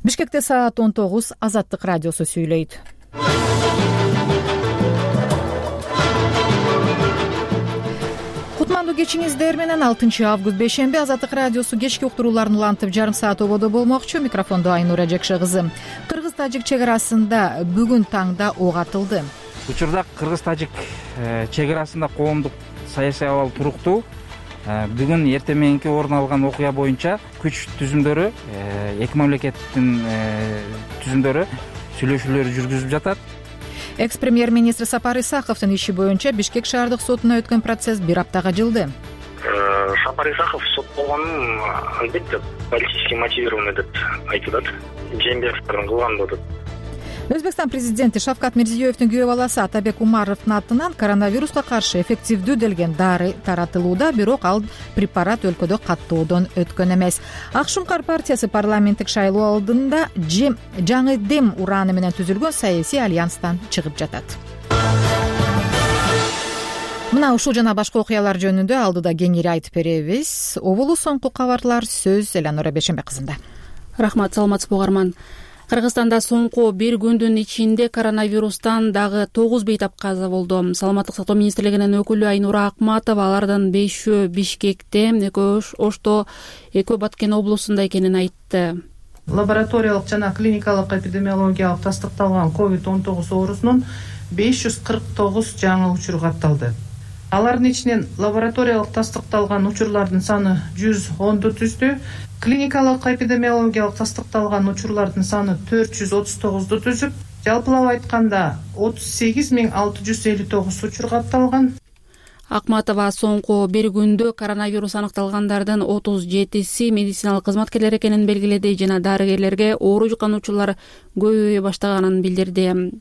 Бишкекте саат 19. Азаттык радиосу сүйлөйт. Кутмандуу кечиңиздер менен 6 август бейшемби Азаттык радиосу кечки уктурууларын улантып жарым саат ободо болмокчу. Микрофондо Айнура Жекше кызы. Кыргыз-тажик чек арасында бүгүн таңда ок атылды. Учурда кыргыз-тажик чек арасында коомдук саясий абал туруктуу. Бүгүн эртең мененки орун алган окуя боюнча күч түзүмдөрү, эки мамлекеттин түзүмдөрү сүйлөшүүлөр жүргүзүлүп жатат. Экс-премьер-министр Сапар Исаковдун иши боюнча Бишкек шаардык сотуна өткөн процесс бир аптага жылды. Сапар Исаков соттолгонун албетте политически мотивированный деп айтылат. Жээнбековдун кылган болот. Өзбекстан президенти Шавкат Мирзиёевдин күйөө баласы Атабек Умаровдун атынан коронавируска каршы эффективдүү делген дары таратылууда, бирок ал препарат өлкөдө каттоодон өткөн эмес. Ак Шуңкар партиясы парламенттик шайлоо алдында жаңы дем ураны менен түзүлгөн саясий альянстан чыгып жатат. Мына ушул жана башка окуялар жөнүндө алдыда кеңири айтып беребиз. Обулу соңку кабарлар сөз Эланора Бейшембек кызында. Рахмат, саламатсызбы угарман. Кыргызстанда соңку бир күндүн ичинде коронавирустан дагы 9 бейтап каза болду. Саламаттык сактоо министрлигинин өкүлү Айнура Акматова алардын 5-өө Бишкекте, 2 Ошто, 2 Баткен облусунда экенин айтты. Лабораториялык жана клиникалык эпидемиологиялык тастыкталган COVID-19 оорусунун 549 жаңы учуру катталды. Алардын ичинен лабораториялык тастыкталган учурлардын саны 110ду түздү. Клиникалык эпидемиологиялык тастыкталган учурлардын саны 439ду түзүп, жалпылап айтканда 38659 учур катталган. Акматова соңку бир күндө коронавирус аныкталгандардын 37си медициналык кызматкерлер экенин белгиледи жана дарыгерлерге оору жуккан учурлар көбөйө баштаганын билдирди.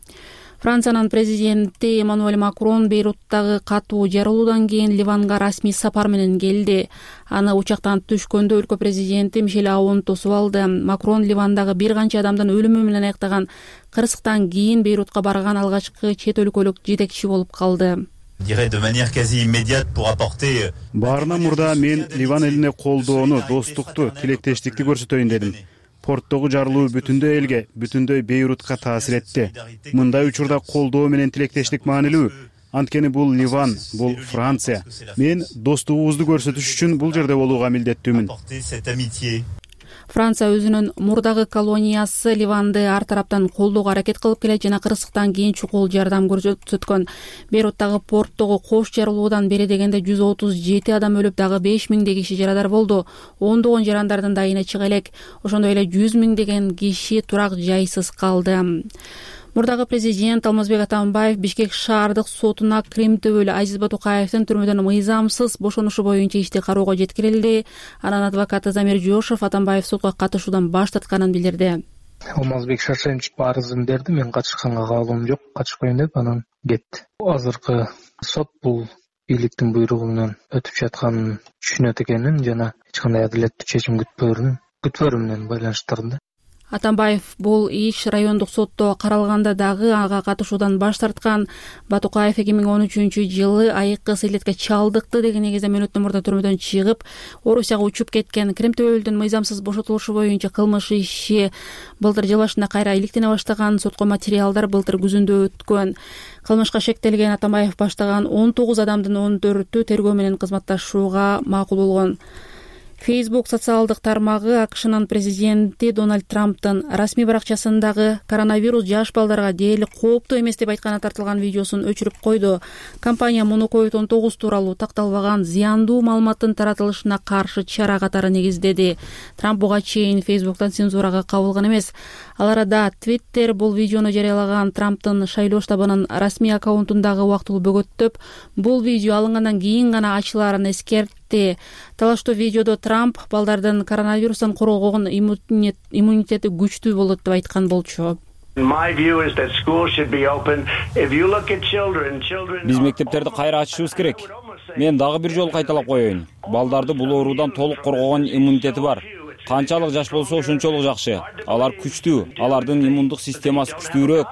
Франциянын президенти Эммануэль Макрон Бейруттагы катуу жарылуудан кийин Ливанга расмий сапар менен келди. Аны учактан түшкөндө өлкө президенти Мишель Аун тосуп алды. Макрон Ливандагы бир канча адамдын өлүмү менен аяктаган кырсыктан кийин Бейрутка барган алгачкы чет өлкөлүк жетекчи болуп калды. Баарынан мурда мен Ливан элине колдоону, достукту, тилектештикти көрсөтөйүн дедим. Порттогу жарылуу бүтүндөй элге, бүтүндөй Бейрутка таасир этти. Мындай учурда колдоо менен тилектештик маанилүү. Анткени бул Ливан, бул Франция. Мен достугубузду көрсөтүш үчүн бул жерде болууга милдеттүүмүн. Франция өзүнүн мурдагы колониясы Ливанды ар тараптан колдоого аракет кылып келет жана кырсыктан кийин чукул жардам көрсөткөн. Бейруттагы порттогу кош жарылуудан бери дегенде 137 адам өлүп, дагы 5000 киши жарадар болду. Ондогон жарандардын дайыны чыга элек. Ошондой эле 100 000 киши турак жайсыз калды. Мурдагы президент Алмазбек Атамбаев Бишкек шаардык сотуна Крим төбөлү Азиз Батукаевдин түрмөдөн мыйзамсыз бошонушу боюнча ишти кароого жеткирилди. Анын адвокаты Замир Жошов Атамбаев сотко катышуудан баш тартканын билдирди. Алмазбек Шаршемчик арызын берди, мен катышканга кабылым жок, катышпайм деп анан кетти. Азыркы сот бул бийликтин буйругу менен өтүп жатканын түшүнөт экенин жана эч кандай адилеттүү чечим күтпөрү менен байланыштырды. Атамбаев бул иш райондук сотто каралганда дагы ага катышуудан баш тарткан. Батукаев 2013-жылы айыккы сыйлетке чалдыкты деген негизде мөөнөттөн мурда түрмөдөн чыгып, Орусияга учуп кеткен. Крим төбөлүдүн мыйзамсыз бошотулушу боюнча кылмыш иши былтыр жыл башында кайра иликтене баштаган. Сотко материалдар былтыр күзүндө өткөн. Кылмышка шектелген Атамбаев баштаган 19 адамдын 14-ü тергөө менен кызматташууга макул болгон. Facebook социалдык тармагы АКШнын президенти Дональд Трамптын расмий баракчасындагы коронавирус жаш балдарга дээрлик кооптуу эмес деп айтканы тартылган видеосун өчүрүп койду. Компания муну COVID-19 тууралуу такталбаган зыяндуу маалыматтын таратылышына каршы чара катары негиздеди. Трамп буга чейин Facebook'тан цензурага кабылган эмес. Ал арада Twitter бул видеону жарыялаган Трамптын шайлоо штабынын расмий аккаунтундагы убактылуу бөгөттөп, бул видео алынгандан кийин гана ачылаарын эскертти. Талаштуу видеодо Трамп балдардын коронавирустан коргогон иммунитети күчтүү болот деп айткан болчу. Биз мектептерди кайра ачышыбыз керек. Мен дагы бир жолу кайталап коеюн. Балдарды бул оорудан толук коргогон иммунитети бар. Канчалык жаш болсо ошончолук жакшы. Алар күчтүү, алардын иммундук системасы күчтүүрөөк.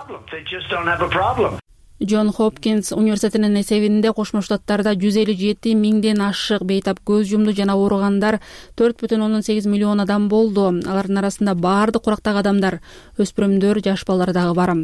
Джон Хопкинс университетинин эсебинде Кошмо Штаттарда 157 миңден ашык бейтап көз жумду жана ооругандар 4,8 миллион адам болду. Алардын арасында баардык курактагы адамдар, өспүрүмдөр, жаш балдар дагы бар.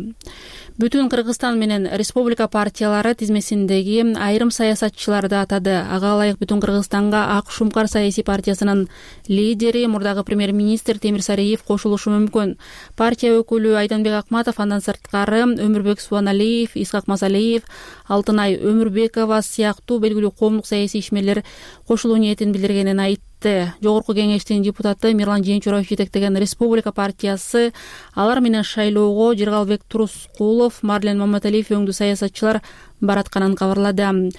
Бүтүн Кыргызстан менен республика партиялары тизмесиндеги айрым саясатчыларды атады. Ага ылайык Бүтүн Кыргызстанга Ак Шумкар саясий партиясынын лидери, мурдагы премьер-министр Темир Сариев кошулушу мүмкүн. Партия өкүлү Айданбек Акматов, андан сырткары Өмүрбек Субаналиев, Исхак Масалиев, Алтынай Өмүрбекова сыяктуу белгилүү коомдук саясий ишмерлер кошулуу ниетин билдиргенин айтты. Жогорку кеңештин депутаты Мирлан Жээнчураев жетектеген республика партиясы алар менен шайлоого Жыргалбек Турускулов, Марлен Маматалиев өңдүү саясатчылар баратканын кабарлады.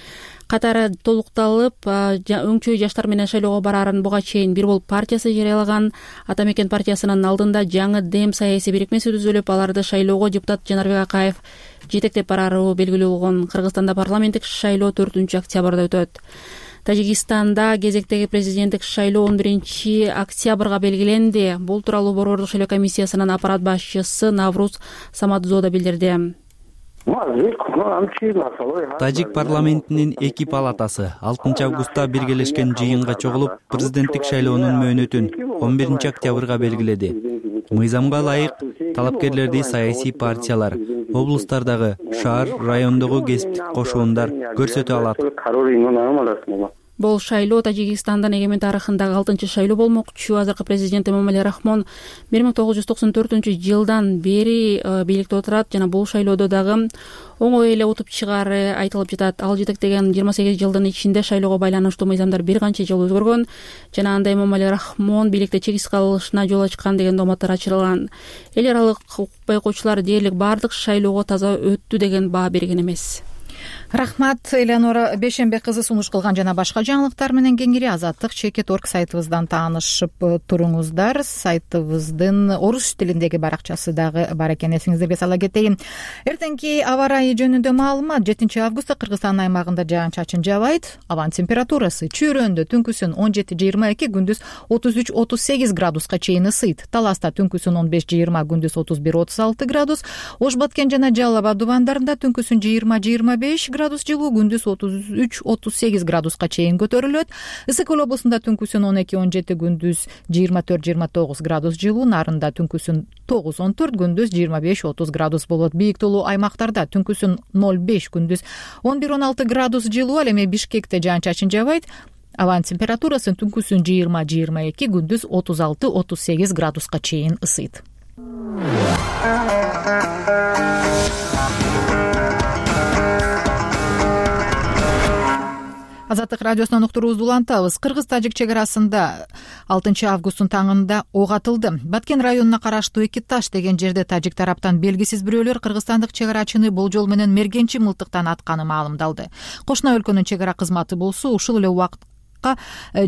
Катары толукталып, өңчөй жаштар менен шайлоого бараарын буга чейин Бир Болуп партиясы жарыялаган. Ата Мекен партиясынын алдында жаңы Дем саясий бирикмеси түзүлүп, аларды шайлоого депутат Жанарбек Акаев жетектеп барары белгилүү болгон. Кыргызстанда парламенттик шайлоо 4 октябрда өтөт. Тажикстанда кезектеги президенттик шайлоо 11 октябрга белгиленди. Бул тууралуу Борбордук шайлоо комиссиясынын аппарат башчысы Навруз Самадзода билдирди. Тажик парламентинин 2 палатасы 6 августта биргелешкен жыйынга чогулуп, президенттик шайлоонун мөөнөтүн 11 октябрга белгиледи. Мыйзамга ылайык талапкерлерди саясий партиялар, облустардагы, шаар, райондогу кесиптик кошуундар көрсөтө алат. Бул шайлоо Тажикстандын эгемен тарыхындагы 6 шайлоо болмокчу. Азыркы президент Эмомали Рахмон 1994-жылдан бери бийликте отурат жана бул шайлоодо дагы оңой эле утуп чыгары айтылып жатат. Ал жетектеген 28 жылдын ичинде шайлоого байланыштуу мыйзамдар бир канча жолу өзгөргөн жана анда Эмомали Рахмон бийликте чегиз калышына жол ачкан деген дооматтар ачырылган. Эл аралык укук байкоочулар дээрлик баардык шайлоого таза өттү деген баа берген эмес. Рахмат, Элеонора Бешенбек кызы сунуш кылган жана башка жаңылыктар менен кеңири Азаттык.org сайтыбыздан таанышып туруңуздар. Сайтыбыздын орус тилиндеги баракчасы дагы бар экен, эсиңиздерге сала кетейин. Эртеңки аба ырайы жөнүндө маалымат. 7 августта Кыргызстан аймагында жаан-чачын жаабайт. Абанын температурасы чүйрөндө түнкүсүн 17-22, күндүз 33-38 градуска чейин ысыйт. Таласта түнкүсүн 15-20, күндүз 31-36 градус. Ош Баткен жана Жалал Абад дубандарында түнкүсүн 20-25 градус жылуу, күндүз 33-38 градуска чейин көтөрүлөт. Ысык Көл облусунда түнкүсүн 12-17, күндүз 24-29 градус жылуу, Нарында түнкүсүн 9-14, күндүз 25-30 градус болот. Бийик тулуу аймактарда түнкүсүн 0-5, күндүз 11-16 градус жылуу. Ал эми Бишкекте жаан-чачын жаабайт. Абанын температурасы түнкүсүн 20-22, күндүз 36-38 градуска чейин ысыйт. Азаттык радиосунан уктуруубузду улантабыз. Кыргыз-тажик чек арасында 6 августтун таңында ок атылды. Баткен районуна караштуу Эки Таш деген жерде тажик тараптан белгисиз бирөөлөр кыргызстандык чек арачыны болжол менен мергенчи мылтыктан атканы маалымдалды. Кошуна өлкөнүн чек ара кызматы болсо ушул эле убакытка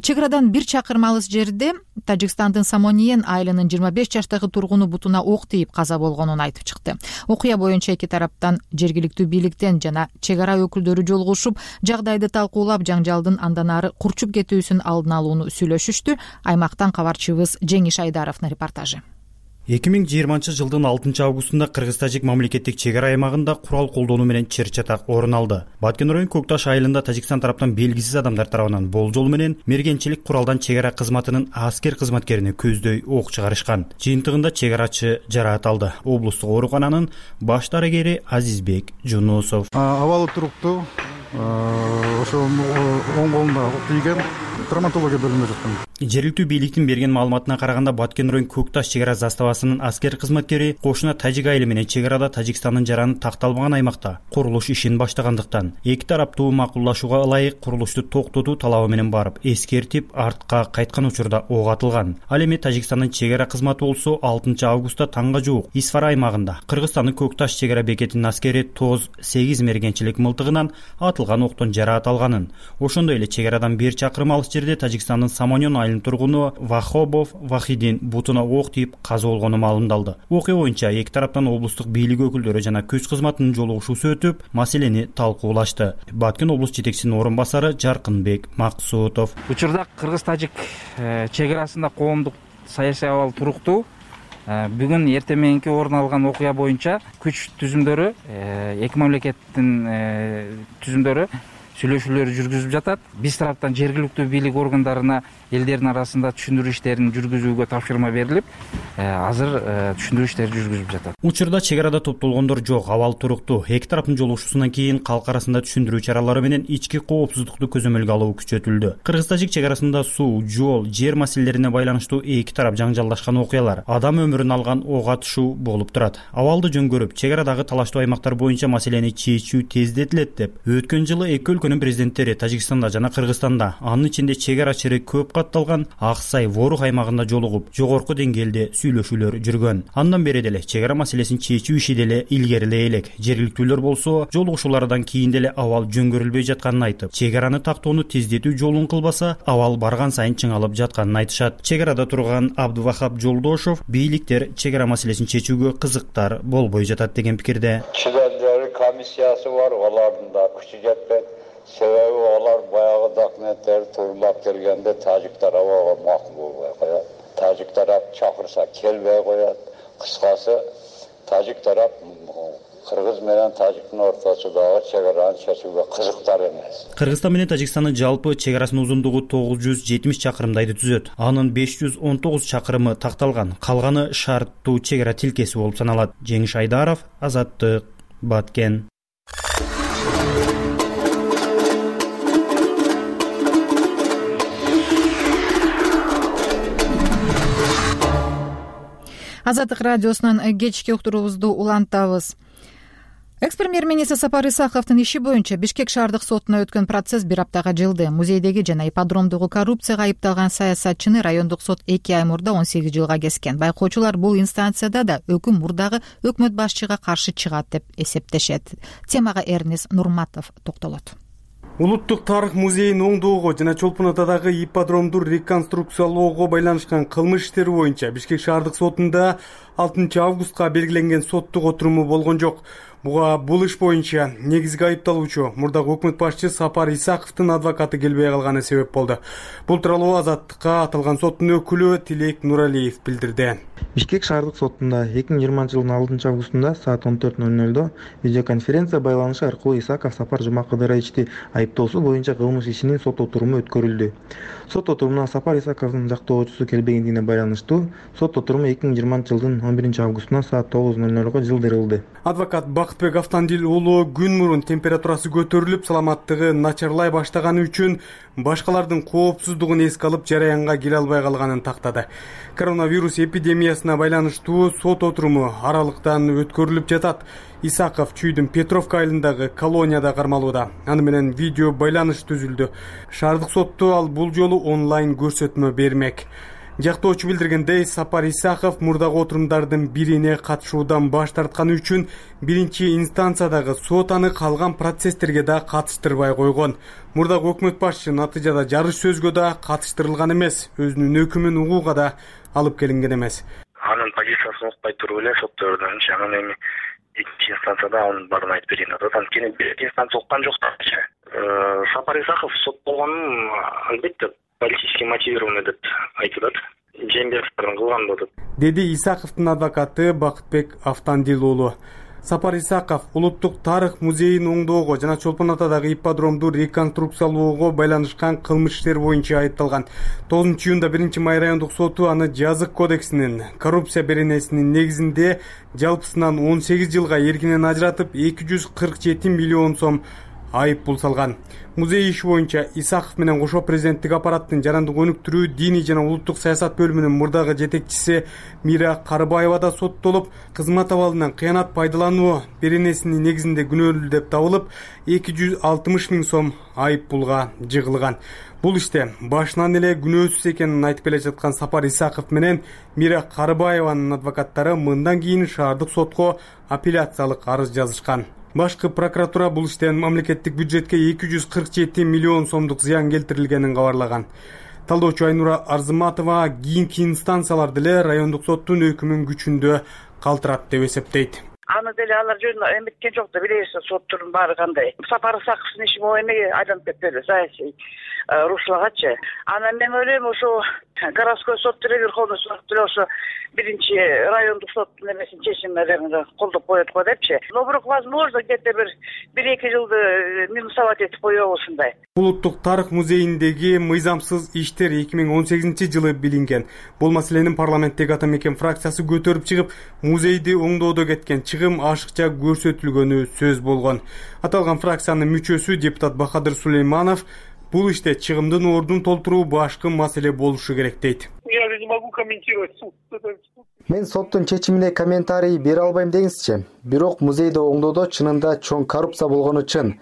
чек арадан 1 чакырым алыс жерде Тажикстандын Самониен айылынын 25 жаштагы тургуну бутуна ок тийип каза болгонун айтып чыкты. Окуя боюнча эки тараптан жергиликтүү бийликтен жана чек ара өкүлдөрү жолугушуп, жагдайды талкуулап, жаңжалдын андан ары курчуп кетүүсүн алдын алууну сүйлөшүштү. Аймактан кабарчыбыз Жеңиш Айдаровдун репортажы. 2020-жылдын 6 августунда Кыргыз-тажик мамлекеттик чек ара аймагында курал колдонуу менен чыр-чатак орун алды. Баткен район Көк Таш айылында Тажикстан тараптан белгисиз адамдар тарабынан болжол менен мергенчилик куралдан чек ара кызматынын аскер кызматкерине көздөй ок чыгарышкан. Жыйынтыгында чек арачы жараат алды. Облустук оорукананын баш дарыгери Азизбек Жунусов. Абалы туруктуу, ошол оң колунда ок тийген, травматология бөлүмүндө жаткан. Жергиликтүү бийликтин берген маалыматына караганда Баткен район Көк Таш чек ара заставасынын аскер кызматкери кошуна тажик айылы менен чек арада Тажикстандын жараны такталбаган аймакта курулуш ишин баштагандыктан эки тараптуу макулдашууга ылайык курулушту токтотуу талабы менен барып эскертип артка кайткан учурда ок атылган. Ал эми Тажикстандын чек ара кызматы болсо 6 августта таңга жуук Исфара аймагында Кыргызстандын Көк Таш чек ара бекетинин аскери ТОЗ 8 мергенчилик мылтыгынан атылган октон жараат алганын. Ошондой эле чек арадан 1 чакырым алыс жерде Тажикстандын Самонион айылынын тургуну Вахобов Вахидин бутуна ок тийип каза болгону маалымдалды. Окуя боюнча эки тараптан облустук бийлик өкүлдөрү жана күч кызматынын жолугушуусу өтүп, маселени талкуулашты. Баткен облус жетекчисинин орун басары Жаркынбек Максутов. Учурда Кыргыз-тажик чек арасында коомдук саясий абал туруктуу. бүгүн эртең мененки орун алган окуя боюнча күч түзүмдөрү эки мамлекеттин түзүмдөрү сүйлөшүүлөр жүргүзүп жатат. Биз тараптан жергиликтүү бийлик органдарына элдердин арасында түшүндүрүү иштерин жүргүзүүгө тапшырма берилип, азыр түшүндүрүү иштери жүргүзүлүп жатат. Учурда чек арада топтолгондор жок, абал туруктуу. Эки тараптын жолугушуусунан кийин калк арасында түшүндүрүү чаралары менен ички коопсуздукту көзөмөлгө алуу күчөтүлдү. Кыргыз-тажик чек арасында суу, жол, жер маселелерине байланыштуу эки тарап жаңжалдашкан окуялар, адам өмүрүн алган ок атышуу болуп турат. Абалды жөнгөрүп, чек арадагы талаштуу аймактар боюнча маселени чечүү тездетилет деп өткөн жылы эки өлкөнүн президенттери Тажикстанда жана Кыргызстанда, анын ичинде чек ара чири көп катталган Аксай, Ворух аймагында жолугуп, жогорку деңгээлде сүйлөшүүлөр жүргөн. Андан бери деле чек ара маселесин чечүү иши деле илгерилей элек. Жергиликтүүлөр болсо, жолугушуулардан кийин деле абал жөнгөрүлбөй жатканын айтып, чек араны тактоону тездетүү жолун кылбаса, абал барган сайын чыңалып жатканын айтышат. Чек арада турган Абдывахап Жолдошов бийликтер чек ара маселесин чечүүгө кызыктар болбой жатат деген пикирде. Члендери комиссиясы бар, алардын да күчү жетпейт. Себеби алар баягы документтерди туурулап келгенде тажик тарабы макул болбой коет. Тажик тарап чакырса келбей коет. Кыскасы тажик тарап Кыргыз менен Тажиктин ортосундагы чек араны чечүүгө кызыктар эмес. Кыргызстан менен Тажикстандын жалпы чек арасынын узундугу 970 чакырымдайды түзөт. Анын 519 чакырымы такталган, калганы шарттуу чек ара тилкеси болуп саналат. Жеңиш Айдаров, Азаттык, Баткен. Азаттык радиосунун кечки уктуруубузду улантабыз. Экс-премьер-министр Сапар Исаковдун иши боюнча Бишкек шаардык сотуна өткөн процесс бир аптага жылды. Музейдеги жана ипподромдогу коррупцияга айыпталган саясатчыны райондук сот 2 ай мурда 18 жылга кескен. Байкоочулар бул инстанцияда да өкүм мурдагы өкмөт башчыга каршы чыгат деп эсептешет. Темага Эрнис Нурматов токтолот. Улуттук тарых музейин оңдоого жана Чолпон Атадагы ипподромду реконструкциялоого байланышкан кылмыш иштери боюнча Бишкек шаардык сотунда 6 августка белгиленген соттук отуруму болгон жок. Буга бул иш боюнча негизги айыпталуучу мурдагы өкмөт башчы Сапар Исаковдун адвокаты келбей калганы себеп болду. Бул тууралуу Азаттыкка аталган соттун өкүлү Тилек Нуралиев билдирди. Бишкек шаардык сотунда 2020 жылдын 6 августунда саат 14:00 видеоконференция байланышы аркылуу Исаков Сапар Жумакыдыровичти айыптоосу боюнча кылмыш ишинин сот отуруму өткөрүлдү. Сот отурумуна Сапар Исаковдун жактоочусу келбегендигине байланыштуу сот отуруму 2020 жылдын 11 августунда саат 9:00 жылдырылды. Адвокат Бакытбек Автандил уулу күн мурун температурасы көтөрүлүп, саламаттыгы начарлай баштаганы үчүн башкалардын коопсуздугун эске алып жараянга келе албай калганын тактады. Коронавирус эпидемиясына байланыштуу сот отуруму аралыктан өткөрүлүп жатат. Исаков Чүйдүн Петровка айылындагы колонияда кармалууда. Аны менен видео байланыш түзүлдү. Шаардык сотто ал бул жолу онлайн көрсөтмө бермек. Жактоочу билдиргендей, Сапар Исаков мурдагы отурумдардын бирине катышуудан баш тартканы үчүн биринчи инстанциядагы сот аны калган процесстерге да катыштырбай койгон. Мурдагы өкмөт башчы натыйжада жарыш сөзгө да катыштырылган эмес, өзүнүн өкүмүн угууга да алып келинген эмес. Анын позициясын укпай туруп эле соттордон анан эми экинчи инстанцияда анын баарын айтып берейин деп атат. Анткени биринчи инстанция уккан жок да. Сапар Исаков сот болгонун албетте политически мотивированный деп айтылат. Жээнбековдун кылган болот, деди Исаковдун адвокаты Бакытбек Автандил уулу. Сапар Исаков улуттук тарых музейин оңдоого жана Чолпон Атадагы ипподромду реконструкциялоого байланышкан кылмыш иштер боюнча айыпталган. 9 июнда 1 май райондук соту аны жазык кодексинин коррупция беренесинин негизинде жалпысынан 18 жылга эркинен ажыратып 247 миллион сом айып пул салган. Музей иши боюнча Исаков менен кошо президенттик аппараттын жарандык өнүктүрүү, диний жана улуттук саясат бөлүмүнүн мурдагы жетекчиси Мира Карыбаева да соттолуп, кызмат абалынан кыянат пайдалануу беренесинин негизинде күнөөлүү деп табылып, 260 миң сом айып пулга жыгылган. Бул иште башынан эле күнөөсүз экенин айтып келе жаткан Сапар Исаков менен Мира Карыбаеванын адвокаттары мындан кийин шаардык сотко апелляциялык арыз жазышкан. Башкы прокуратура бул иштен мамлекеттик бюджетке 247 миллион сомдук зыян келтирилгенин кабарлаган. Талдоочу Айнура Арзыматова кийинки инстанциялар деле райондук соттун өкүмүн күчүндө калтырат деп эсептейт. аны деле алар жөнүндө эметкен жок да, билесиз, соттун баары кандай. Сапар Исаковдун иши могу эмеге айланып кетпеди, саясий рушлагачы. Анан мен ойлойм, ошо городской сот деле, Верховный суд деле ошо биринчи райондук соттун эмесин чечимин колдоп коет го депчи. Но бирок возможно где-то бир 1-2 жылды минусовать этип коебу ушундай. Улуттук тарых музейиндеги мыйзамсыз иштер 2018-жылы билинген. Бул маселенин парламенттеги ата мекен фракциясы көтөрүп чыгып, музейди оңдоодо кеткен чыгым ашыкча көрсөтүлгөнү сөз болгон. Аталган фракциянын мүчөсү депутат Бахадыр Сулейманов бул иште чыгымдын ордун толтуруу башкы маселе болушу керек дейт. Я не могу комментировать суд. Мен соттун чечимине комментарий бере албайм деңизчи. Бирок музейди оңдоодо чынында чоң коррупция болгону чын.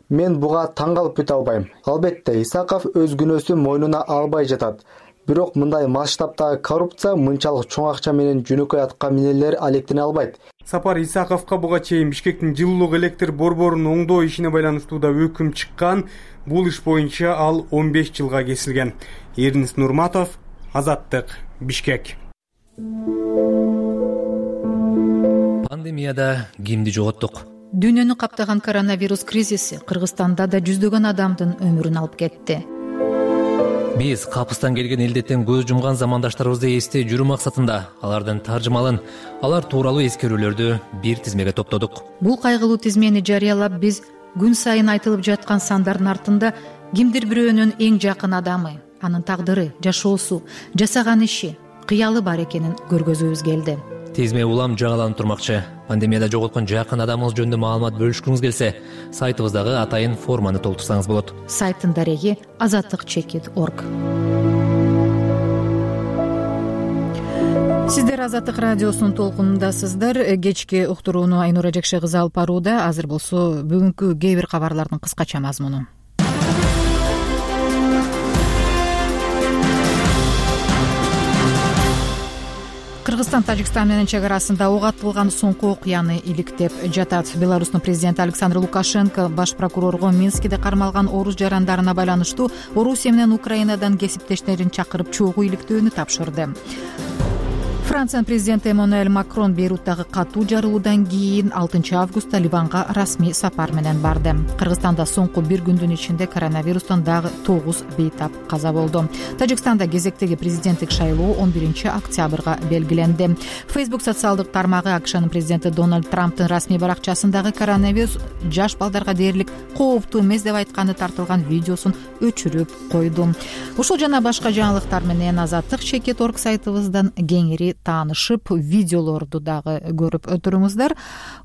Мен буга таң калып бүтө албайм. Албетте, Исаков өз күнөөсүн мойнуна албай жатат. Бирок мындай масштабтагы коррупция мынчалык чоң акча менен жөнөкөй атка минелер алектене албайт. Сапар Исаковго буга чейин Бишкектин жылуулук электр борборун оңдоо ишине байланыштуу да өкүм чыккан. Бул иш боюнча ал 15 жылга кесилген. Эрнис Нурматов, Азаттык, Бишкек. Пандемияда кимди жоготтук? Дүйнөнү каптаган коронавирус кризиси Кыргызстанда да жүздөгөн адамдын өмүрүн алып кетти. Биз капыстан келген илдеттен көз жумган замандаштарыбызды эстей жүрүү максатында алардын таржымалын, алар тууралуу эскерүүлөрдү бир тизмеге топтодук. Бул кайгылуу тизмени жарыялап биз күн сайын айтылып жаткан сандардын артында кимдир бирөөнүн эң жакын адамы, анын тагдыры, жашоосу, жасаган иши, кыялы бар экенин көргөзүүбүз келди. Тизме улам жаңыланып турмакчы. Пандемияда жоготкон жакын адамыңыз жөнүндө маалымат бөлүшкүңүз келсе, сайтыбыздагы атайын форманы толтурсаңыз болот. Сайттын дареги azatlik.org. Сиздер Азаттык радиосунун толкунундасыздар. Кечки уктурууну Айнура Жекше кызы алып барууда. Азыр болсо бүгүнкү кээ бир кабарлардын кыскача мазмуну. Кыргызстан Тажикстан менен чек арасында ок атылган соңку окуяны иликтеп жатат. Беларустун президенти Александр Лукашенко баш прокурорго Минскиде кармалган орус жарандарына байланыштуу Орусия менен Украинадан кесиптештерин чакырып чогуу иликтөөнү тапшырды. Франциянын президенти Эммануэль Макрон Бейруттагы катуу жарылуудан кийин 6 августта Ливанга расмий сапар менен барды. Кыргызстанда соңку бир күндүн ичинде коронавирустан дагы 9 бейтап каза болду. Тажикстанда кезектеги президенттик шайлоо 11 октябрга белгиленди. Facebook социалдык тармагы АКШнын президенти Дональд Трамптын расмий баракчасындагы коронавирус жаш балдарга дээрлик кооптуу эмес деп айтканы тартылган видеосун өчүрүп койду. Ушул жана башка жаңылыктар менен Azatlik.org сайтыбыздан кеңири таанышып, видеолорду дагы көрүп туруңуздар.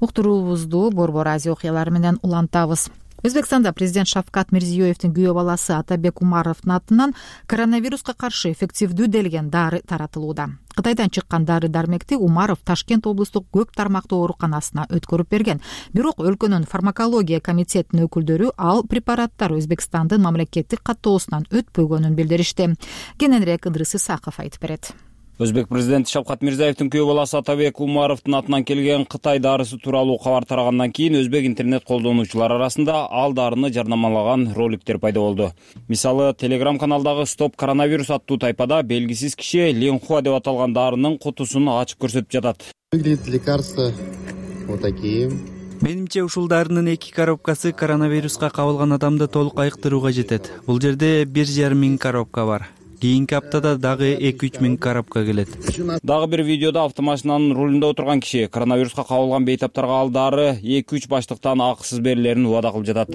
Уктуруубузду Борбор Азия окуялары менен улантабыз. Өзбекстанда президент Шавкат Мирзиёевдин күйөө баласы Атабек Умаровдун атынан коронавируска каршы эффективдүү делген дары таратылууда. Кытайдан чыккан дары-дармекти Умаров Ташкент облустук көп тармактуу ооруканасына өткөрүп берген. Бирок өлкөнүн фармакология комитетинин өкүлдөрү ал препараттар Өзбекстандын мамлекеттик каттоосунан өтпөгөнүн билдиришти. Кененирээк Ыдрыс Исаков айтып берет. Өзбек президенти Шавкат Мирзиёевдин күйөө баласы Атабек Умаровдун атынан келген Кытай дарысы тууралуу кабар тарагандан кийин өзбек интернет колдонуучулар арасында ал дарыны жарнамалаган роликтер пайда болду. Мисалы, Telegram каналдагы Стоп коронавирус аттуу тайпада белгисиз киши Ленхуа деп аталган дарынын кутусун ачып көрсөтүп жатат. Выглядит лекарство вот такие. Менимче ушул дарынын 2 коробкасы коронавируска кабылган адамды толук айыктырууга жетет. Бул жерде 1,5 миң коробка бар. Кийинки аптада дагы 2-3 миң коробка келет. Дагы бир видеодо автомашинанын рулунда отурган киши коронавируска кабылган бейтаптарга ал дары 2-3 баштыктан акысыз берилерин убада кылып жатат.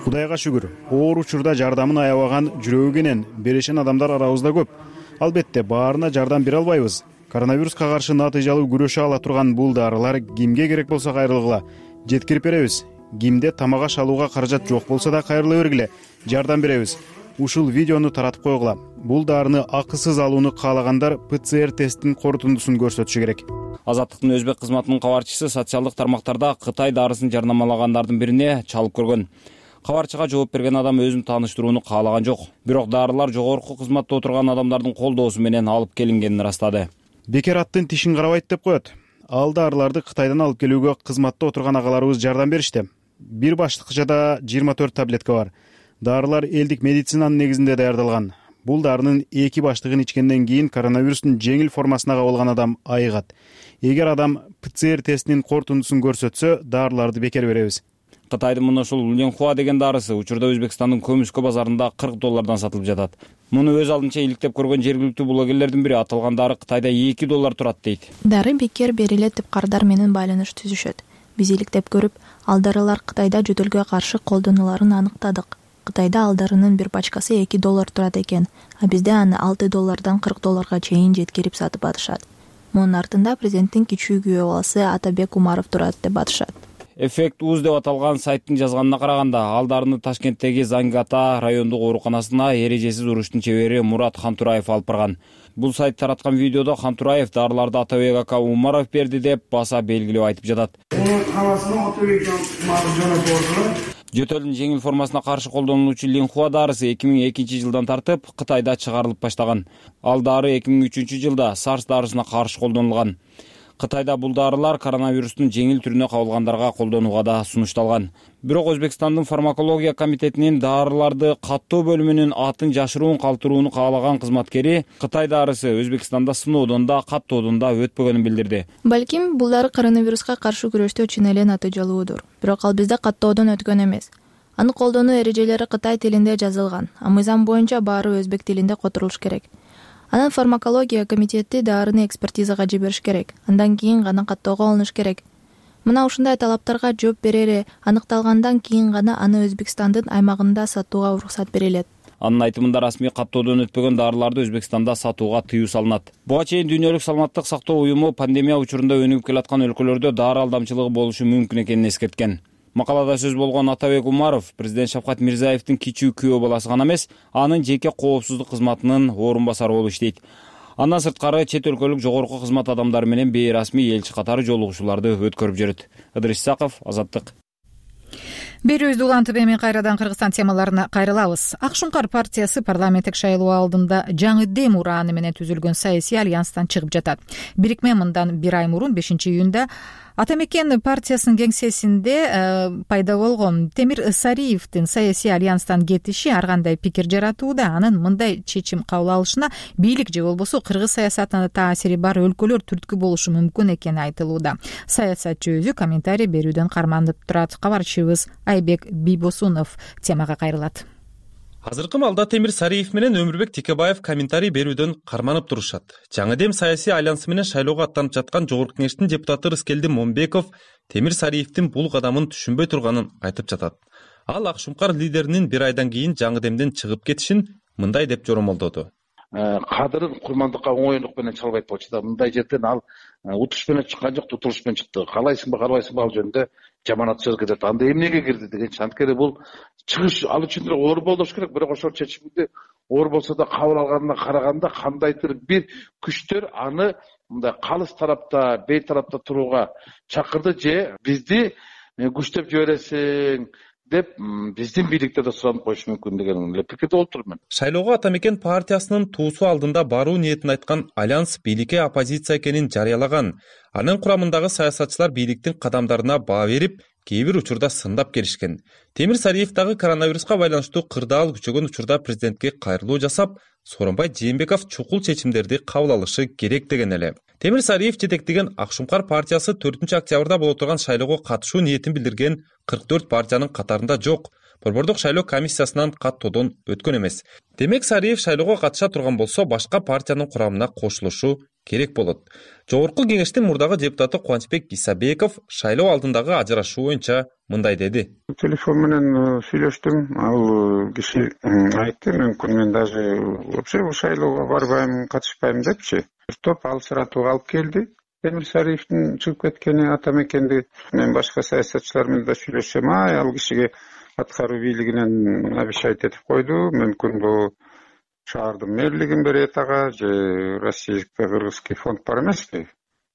Кудайга шүгүр, оор учурда жардамын аябаган жүрөгү кенен берешен адамдар арабызда көп. Албетте баарына жардам бере албайбыз. Коронавируска каршы натыйжалуу күрөшө ала турган бул дарылар кимге керек болсо кайрылгыла жеткирип беребиз. Кимде тамак аш алууга каражат жок болсо да кайрыла бергиле, жардам беребиз. Ушул видеону таратып койгула. Бул дарыны акысыз алууну каалагандар ПЦР тесттин корутундусун көрсөтүшү керек. Азаттыктын өзбек кызматынын кабарчысы социалдык тармактарда Кытай дарысын жарнамалагандардын бирине чалып көргөн. Кабарчыга жооп берген адам өзүн тааныштырууну каалаган жок. Бирок дарылар жогорку кызматта отурган адамдардын колдоосу менен алып келингенин ырастады. Бекер аттын тишин карабайт деп коет. Ал дарыларды Кытайдан алып келүүгө кызматта отурган агаларыбыз жардам беришти. Бир баштыкчада 24 таблетка бар. Дарылар элдик медицинанын негизинде даярдалган. Бул дарынын 2 баштыгын ичкенден кийин коронавирустун жеңил формасына кабылган адам айыгат. Эгер адам ПЦР тестинин корутундусун көрсөтсө, дарыларды бекер беребиз. Кытайдын мына ушул Ленхуа деген дарысы учурда Өзбекстандын көмүскө базарында $40 сатылып жатат. Муну өз алдынча иликтеп көргөн жергиликтүү блогерлердин бири аталган дары Кытайда $2 турат дейт. Дары бекер берилет деп кардар менен байланыш түзүшөт. Биз иликтеп көрүп, ал дарылар Кытайда жөтөлгө каршы колдонуларын аныктадык. Кытайда ал дарынын бир пачкасы $2 турат экен, а бизде аны $6 $40 чейин жеткирип сатып атышат. Мунун артында президенттин кичүү күйөө баласы Атабек Умаров турат деп атышат. Эффект уз деп аталган сайттын жазганына караганда, ал дарыны Ташкенттеги Зангата райондук ооруканасына эрежесиз уруштун чебери Мурат Хантураев алып барган. Бул сайт тараткан видеодо Хантураев дарыларды Атабек ака Умаров берди деп баса белгилеп айтып жатат. Жөтөлдүн жеңил формасына каршы колдонулуучу Ленхуа дарысы 2002 жылдан тартып Кытайда чыгарылып баштаган. Ал дары 2003 жылда SARS дарысына каршы колдонулган. Кытайда бул дарылар коронавирустун жеңил түрүнө кабылгандарга колдонууга да сунушталган. Бирок Өзбекстандын фармакология комитетинин дарыларды каттоо бөлүмүнүн атын жашыруун калтырууну каалаган кызматкери Кытай дарысы Өзбекстанда сыноодон да каттоодон да өтпөгөнүн билдирди. Балким бул дары коронавируска каршы күрөштө чын эле натыйжалуудур. Бирок ал бизде каттоодон өткөн эмес. Аны колдонуу эрежелери Кытай тилинде жазылган, а мыйзам боюнча баары өзбек тилинде которулуш керек. Анан фармакология комитети дарыны экспертизага жибериш керек. Андан кийин гана каттоого алыныш керек. Мына ушундай талаптарга жооп берери аныкталгандан кийин гана аны Өзбекстандын аймагында сатууга уруксат берилет. Анын айтымында расмий каттоодон өтпөгөн дарыларды Өзбекстанда сатууга тыюу салынат. Буга чейин Дүйнөлүк саламаттык сактоо уюму пандемия учурунда өнүгүп келаткан өлкөлөрдө дары алдамчылыгы болушу мүмкүн экенин эскерткен. Макалада сөз болгон Атабек Умаров президент Шавкат Мирзиевдин кичүү күйөө баласы гана эмес, анын жеке коопсуздук кызматынын орун басары болуп иштейт. Андан сырткары чет өлкөлүк жогорку кызмат адамдары менен бейрасмий элчи катары жолугушууларды өткөрүп жүрөт. Ыдырыс Исаков, Азаттык. Берүүбүздү улантып эми кайрадан Кыргызстан темаларына кайрылабыз. Ак Шуңкар партиясы парламенттик шайлоо алдында жаңы дем урааны менен түзүлгөн саясий альянстан чыгып жатат. Бирикме мындан 1 ай мурун 5-июнда Атамекен партиясынын кеңсесинде пайда болгон Темир Сариевдин саясий альянстан кетиши ар кандай пикир жаратууда. Анын мындай чечим кабыл алышына бийлик же болбосо кыргыз саясатына таасири бар өлкөлөр түрткү болушу мүмкүн экени айтылууда. Саясатчы өзү комментарий берүүдөн карманып турат. Кабарчыбыз Айбек Бийбосунов темага кайрылат. Азыркы маалда Темир Сариев менен Өмүрбек Текебаев комментарий берүүдөн карманып турушат. Жаңы дем саясий альянсы менен шайлоого аттанып жаткан Жогорку Кеңештин депутаты Рыскелди Момбеков Темир Сариевдин бул кадамын түшүнбөй турганын айтып жатат. Ал Ак Шуңкар лидеринин 1 айдан кийин жаңы демден чыгып кетишин мындай деп жоромолдоду. Кадырын курмандыкка оңойлук менен чалбайт болчу да. Мындай жерден ал утуш менен чыккан жок, тутулуш менен чыкты. Каалайсыңбы, каалбайсыңбы ал жөнүндө жаманат сөз кетет. Анда эмнеге кирди деген анткени бул чыгыш ал үчүн оор болуш керек. Бирок ошол чечимди оор болсо да кабыл алганына караганда кандайдыр бир күчтөр аны мындай калыс тарапта, бей тарапта турууга чакырды же бизди күчтөп жибересиң деп биздин бийликте да суранып коюшу мүмкүн деген эле пикирде болуп турмун. Шайлоого Атамекен партиясынын туусу алдында баруу ниетин айткан альянс бийликке оппозиция экенин жарыялаган. Анын курамындагы саясатчылар бийликтин кадамдарына баа берип, кээ бир учурда сындап келишкен. Темир Сариев дагы коронавируска байланыштуу кырдаал күчөгөн учурда президентке кайрылуу жасап, Сооронбай Жээнбеков чукул чечимдерди кабыл алышы керек деген эле. Темир Сариев жетектеген Ак Шуңкар партиясы 4-октябрда боло турган шайлоого катышуу ниетин билдирген 44 партиянын катарында жок. Борбордук шайлоо комиссиясынан каттоодон өткөн эмес. Демек Сариев шайлоого катыша турган болсо, башка партиянын курамына кошулушу керек болот. Жогорку Кеңештин мурдагы депутаты Кубанычбек Исабеков шайлоо алдындагы ажырашуу боюнча мындай деди. Телефон менен сүйлөштүм. Ал киши айтты, мен даже вообще шайлоого барбайм, катышпайм депчи. Топ алсыратууга алып келди. Темир Сариевдин чыгып кеткени Атамекенди мен башка саясатчылар менен да сүйлөшсөм, ал кишиге аткаруу бийлигинен обещать этип койду. Мүмкүн бул шаардын мэрлигин берет ага же Российско-Кыргызский фонд бар эмеспи?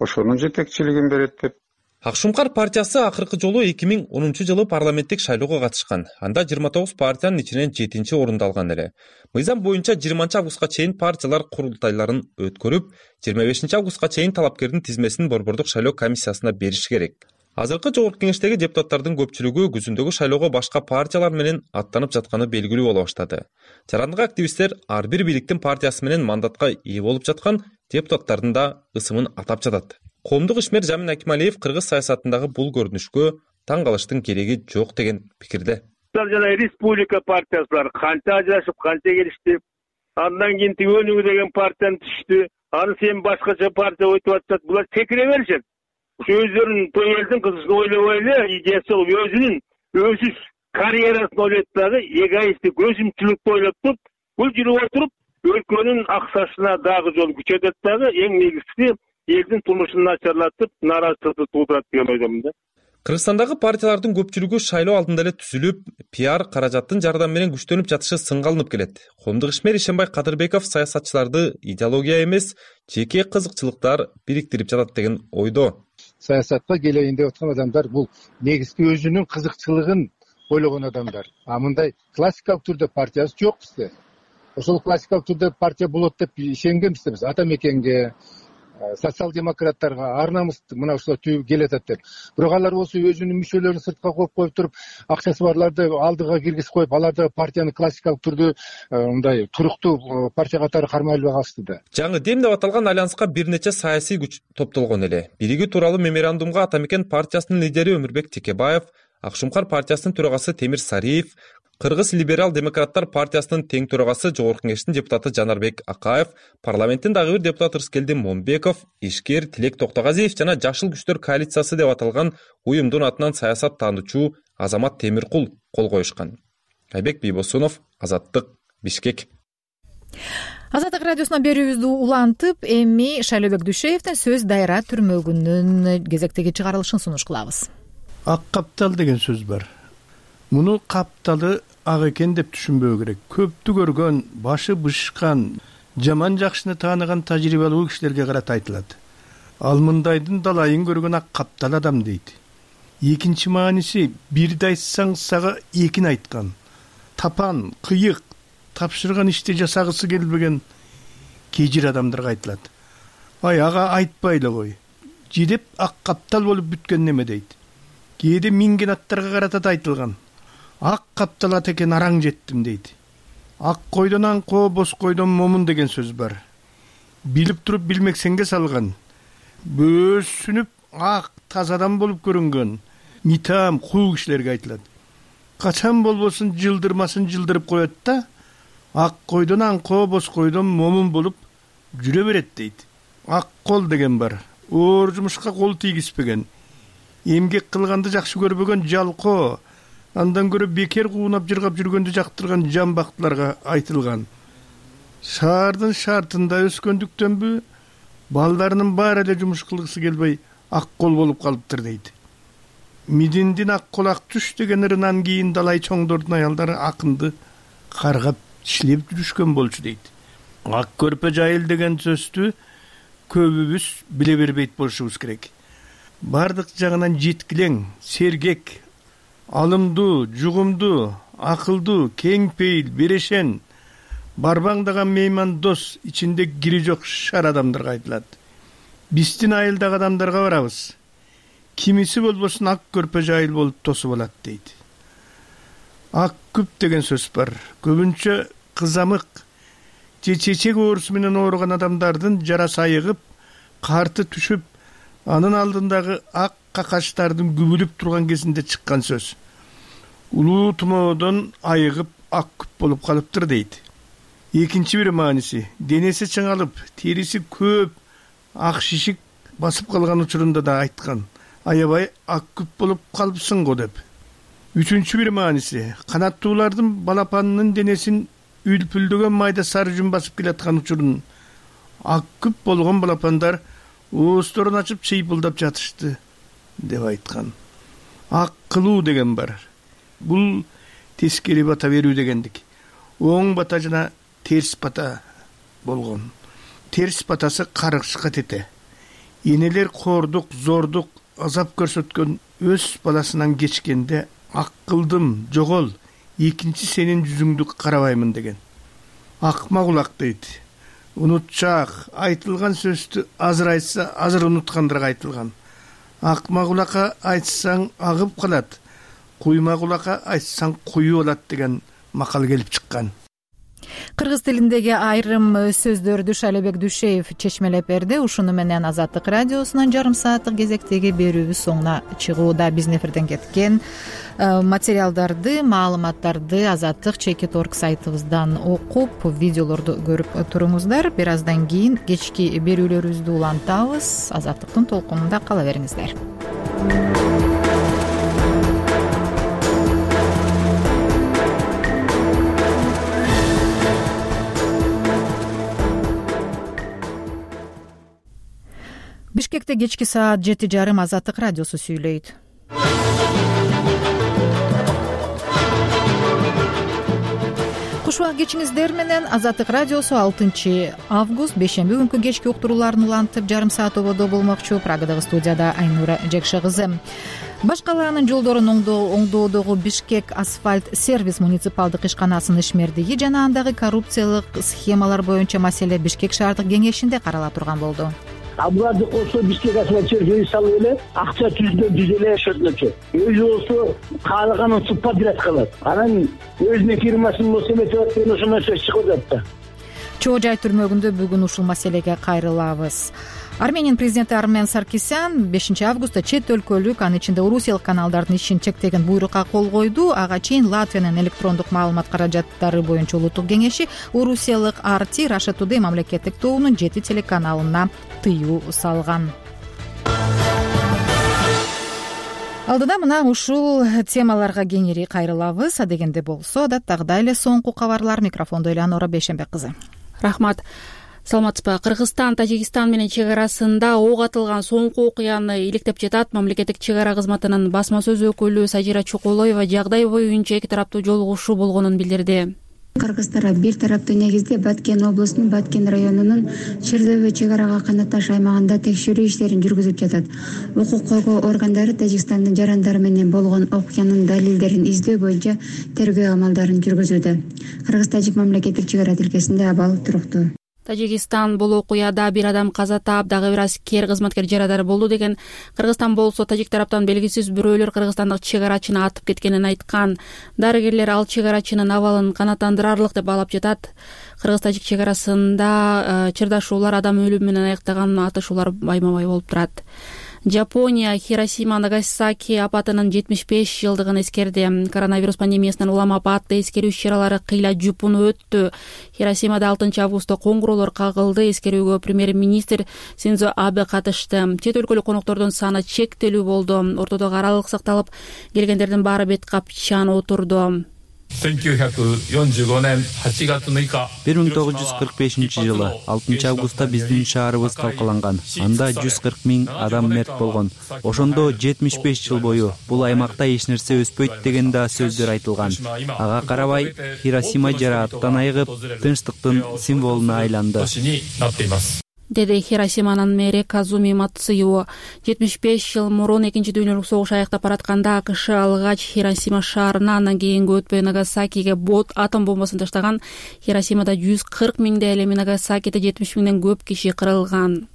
Ошонун жетекчилигин берет деп. Ак Шуңкар партиясы акыркы жолу 2010 жылы парламенттик шайлоого катышкан. Анда 29 партиянын ичинен 7-чи орунду алган эле. Мыйзам боюнча 20 августка чейин партиялар курултайларын өткөрүп, 25 августка чейин талапкердин тизмесин борбордук шайлоо комиссиясына бериши керек. Азыркы жогорку кеңештеги депутаттардын көпчүлүгү күзүндөгү шайлоого башка партиялар менен аттанып жатканы белгилүү боло баштады. Жарандык активисттер ар бир бийликтин партиясы менен мандатка ээ болуп жаткан депутаттардын да ысымын атап жатат. Коомдук ишмер Жамин Акималиев кыргыз саясатындагы бул көрүнүшкө таң калыштын кереги жок деген пикирде. Жана республика партиясылар канча ажырашып, канча келишти. Андан кийин Өнүгүү деген партияны түштү. Аны сен башкача партия өтүп атат. Булар секире беришет. Өздөрүнүн той элдин кызыгын ойлобой эле идеясы өзүнүн өзүз карьерасын ойлойт дагы эгоисттик өзүмчүлүктү ойлоп туруп, бул жүрүп отуруп өлкөнүн аксашына дагы жол күчөтөт дагы эң негизгиси элдин турмушун начарлатып, нааразычылыкты туудурат деген ойдомун да. Кыргызстандагы партиялардын көпчүлүгү шайлоо алдында эле түзүлүп, пиар каражаттын жардамы менен күчтөнүп жатышы сынга алынып келет. Коомдук ишмер Ишенбай Кадырбеков саясатчыларды идеология эмес, жеке кызыкчылыктар бириктирип жатат деген ойдо. Саясатка келейин деп аткан адамдар бул негизги өзүнүн кызыкчылыгын ойлогон адамдар. Мындай классикалык түрдө партиясы жок бизде. Ошол классикалык түрдө партия болот деп ишенгенбиз биз ата мекенге, социал-демократтарга, ар намысты мына ушулар түгүп келатат деп. Бирок алар болсо өзүнүн мүчөлөрүн сыртка коюп туруп, акчасы барларды алдыга киргизип коюп, аларды партияны классикалык түрдө мындай туруктуу партия катары кармай албай калышты да. Жаңы дем деп аталган альянска бир нече саясий күч топтолгон эле. Биригүү тууралуу меморандумга ата мекен партиясынын лидери Өмүрбек Текебаев, Ак Шумкар партиясынын төрагасы Темир Сариев, Кыргыз либерал-демократтар партиясынын тең төрагасы Жогорку кеңештин депутаты Жанарбек Акаев, парламенттин дагы бир депутаты Рыскелди Момбеков, ишкер Тилек Токтогазиев жана Жашыл күчтөр коалициясы деп аталган уюмдун атынан саясат таануучу Азамат Темиркул кол коюшкан. Айбек Бийбосунов, Азаттык, Бишкек. Азаттык радиосунан берүүбүздү улантып, эми Шайлообек Дүйшеевдин сөз дайра түрмөгүнүн кезектеги чыгарылышын сунуш кылабыз. Ак каптал деген сөз бар. Муну капталы ак экен деп түшүнбөө керек. Көптү көргөн, башы бышкан, жаман жакшыны тааныган тажрыйбалуу кишилерге карата айтылат. Ал мындайдын далайын көргөн ак каптал адам дейт. Экинчи мааниси бирди айтсаң сага экин айткан. Тапан, кыйык, тапшырган ишти жасагысы келбеген кежир адамдарга айтылат. Ага айтпай эле кой. Жидеп ак каптал болуп бүткөн неме дейт. Кээде минген аттарга карата да айтылган. Ак каптал ат экен араң жеттим дейт. Ак койдон аңко, боз койдон момун деген сөз бар. Билип туруп билмексенге салган. Бөөсүнүп ак таза адам болуп көрүнгөн митам куу кишилерге айтылат. Качан болбосун жылдырмасын жылдырып коет да, ак койдон аңко, боз койдон момун болуп жүрө берет дейт. Ак кол деген бар. Оор жумушка кол тийгизбеген, эмгек кылганды жакшы көрбөгөн жалко, андан көрө бекер куунап жыргап жүргөндү жактырган жамбактыларга айтылган. Шаардын шартында өскөндүктөнбү, балдарынын баары эле жумуш кылгысы келбей ак кол болуп калыптыр дейт. Мидиндин ак кол ак түш деген ырынан кийин далай чоңдордун аялдары акынды каргап ишлеп жүрүшкөн болчу дейт. Ак көрпө жайыл деген сөздү көбүбүз биле бербейт болушубуз керек. Бардык жагынан жеткилең, сергек, алымдуу, жугумдуу, акылдуу, кең пейил, берешен, барбаңдаган мейман дос, ичинде кири жок шар адамдарга айтылат. Биздин айылдагы адамдарга барабыз. Кимиси болбосун ак көрпө жайыл болуп тосуп алат дейт. Ак күп деген сөз бар. Көбүнчө кызамык же чечек оорусу менен ооруган адамдардын жарасы айыгып, карты түшүп, анын алдындагы ак какачтардын күбүлүп турган кезинде чыккан сөз. Улуу тумоодон айыгып ак күп болуп калыптыр дейт. Экинчи бир мааниси, денеси чыңалып, териси көп, ак шишик басып калган учурунда да айткан. Аябай ак күп болуп калыпсың го деп. Үчүнчү бир мааниси, канаттуулардын балапанынын денесин үлпүлдөгөн майда сары жүн басып келаткан учурун ак күп болгон балапандар оосторун ачып чыйпылдап жатышты деп айткан. Ак кылуу деген бар. Бул тескери бата берүү дегендик. Оң бата жана терс бата болгон. Терс батасы каргышка тете. Энелер кордук, зордук, азап көрсөткөн өз баласынан кечкенде ак кылдым, жогол, экинчи сенин жүзүңдү карабаймын деген. Акма кулак дейт. Унутчак, айтылган сөздү азыр айтса, азыр унуткандарга айтылган. акма кулакка айтсаң агып калат, куйма кулакка айтсаң куюу болот деген макал келип чыккан. Кыргыз тилиндеги айрым сөздөрдү Шалебек Дүйшеев чечмелеп берди. Ушуну менен Азаттык радиосунан жарым сааттык кезектеги берүүбүз соңуна чыгууда. Биздин эфирден кеткен материалдарды, маалыматтарды Азаттык Чекит.org сайтыбыздан окуп, видеолорду көрүп туруңуздар. Бир аздан кийин кечки берүүлөрүбүздү улантабыз. Азаттыктын толкунунда кала бериңиздер. Бишкекте кечки саат 7:30 Азаттык радиосу сүйлөйт. Куш убак кечиңиздер менен Азаттык радиосу 6 август бейшемби күнкү кечки уктурууларын улантып жарым саат ободо болмокчу. Прагадагы студияда Айнура Жекше кызы. Баш калаанын жолдорун оңдоодогу Бишкек асфальт сервис муниципалдык ишканасынын ишмердиги жана андагы коррупциялык схемалар боюнча маселе Бишкек шаардык кеңешинде карала турган болду. Буларды кошсо Бишкек асфальт сервис салып эле акча түздө эле шөтлөчү. Өзү болсо каалаганын суппа директ кылат. Анан өзүнүн фирмасын болсо эметип атпайын ошондон сөз чыгып атат да. Чоо Жай түрмөгүндө бүгүн ушул маселеге кайрылабыз. Армениянын президенти Армен Саркисян 5 августта чет өлкөлүк, анын ичинде Орусиялык каналдардын ишин чектеген буйрукка кол койду. Ага чейин Латвиянын электрондук маалымат каражаттары боюнча улуттук кеңеши Орусиялык RT Russia Today мамлекеттик тобунун 7 телеканалына тыюу салган. Алдыда мына ушул темаларга кеңири кайрылабыз. Адегенде болсо адаттагыдай эле соңку кабарлар. Микрофондо Элеонора Бейшембек кызы. Рахмат. Саламатсызбы? Кыргызстан Тажикстан менен чек арасында ок атылган соңку окуяны иликтеп жатат. Мамлекеттик чек ара кызматынын басма сөз өкүлү Сажира Чукулоева жагдай боюнча эки тараптуу жолугушуу болгонун билдирди. Кыргыз тарап бир тараптуу негизде Баткен облусунун Баткен районунун Чырдыбы чек арага канатташ аймагында текшерүү иштерин жүргүзүп жатат. Укук коргоо органдары Тажикстандын жарандары менен болгон окуянын далилдерин издөө боюнча тергөө амалдарын жүргүзүүдө. Кыргыз-Тажик мамлекеттик чек ара тилкесинде абал туруктуу. Тажикстан бул окуяда бир адам каза таап, дагы бир аскер кызматкер жарадар болду деген. Кыргызстан болсо Тажик тараптан белгисиз бирөөлөр кыргызстандык чек арачыны атып кеткенин айткан. Дарыгерлер ал чек арачынын абалын канааттандырарлык деп баалап жатат. Кыргыз-Тажик чек арасында чырдашуулар адам өлүмү менен аяктаган атышуулар байма-бай болуп турат. Жапония Хиросима Нагасаки апатынын 75 жылдыгын эскерди. Коронавирус пандемиясынан улам апатты эскерүү иш-чаралары кыйла жупун өттү. Хиросимада 6 августта коңгуроолор кагылды. Эскерүүгө премьер-министр Синдзо Абе катышты. Чет өлкөлүк коноктордун саны чектелүү болду. Ортодогу аралык сакталып, келгендердин баары бет капчан отурду. 1945 жылы 6 августта биздин шаарыбыз талкаланган. Анда 140 000 адам мерт болгон. Ошондо 75 жыл бою бул аймакта эч нерсе өспөйт деген да сөздөр айтылган. Ага карабай Хиросима жарааттан айыгып, тынчтыктын символуна айланды, деди Хиросиманын мэри Казуми Мацуо. 75 жыл мурун экинчи дүйнөлүк согуш аяктап баратканда АКШ алгач Хиросима шаарына, андан кийинки өтпөй Нагасакиге атом бомбасын таштаган. Хиросимада 140 000 эми Нагасакиде 70 000ден көп киши кырылган.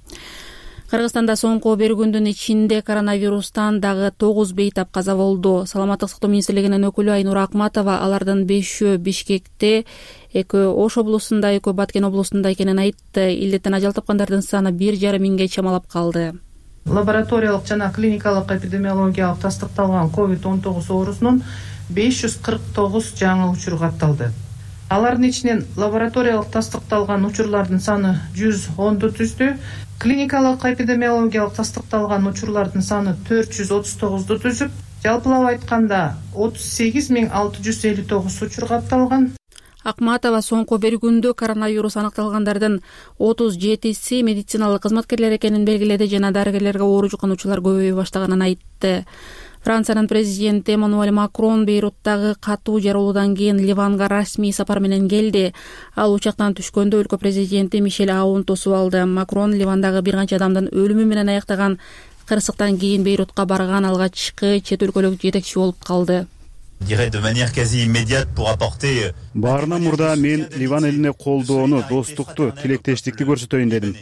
Кыргызстанда соңку бир күндүн ичинде коронавирустан дагы 9 бейтап каза болду. Саламаттык сактоо министрлигинин өкүлү Айнура Акматова алардын 5-өө Бишкекте, 2 Ош облусунда, 2 Баткен облусунда экенин айтты. Илдеттен ажал тапкандардын саны 1,5 миңге чамалап калды. Лабораториялык жана клиникалык эпидемиологиялык тастыкталган COVID-19 оорусунун 549 жаңы учуру катталды. Алардын ичинен лабораториялык тастыкталган учурлардын саны 110ду түздү. Клиникалык эпидемиологиялык тастыкталган учурлардын саны 439ду түзүп, жалпылап айтканда 38 659 учур катталган. Акматова соңку бир күндө коронавирус аныкталгандардын 37си медициналык кызматкерлер экенин белгиледи жана дарыгерлерге оору жуккануучулар көбөйө баштаганын айтты. Франциянын президенти Эммануэль Макрон Бейруттагы катуу жарылуудан кийин Ливанга расмий сапар менен келди. Ал учактан түшкөндө өлкө президенти Мишель Аун тосуп алды. Макрон Ливандагы бир канча адамдын өлүмү менен аяктаган кырсыктан кийин Бейрутка барган алгачкы чет өлкөлүк жетекчи болуп калды. Баарынан мурда мен Ливан элине колдоону, достукту, тилектештикти көрсөтөйүн дедим.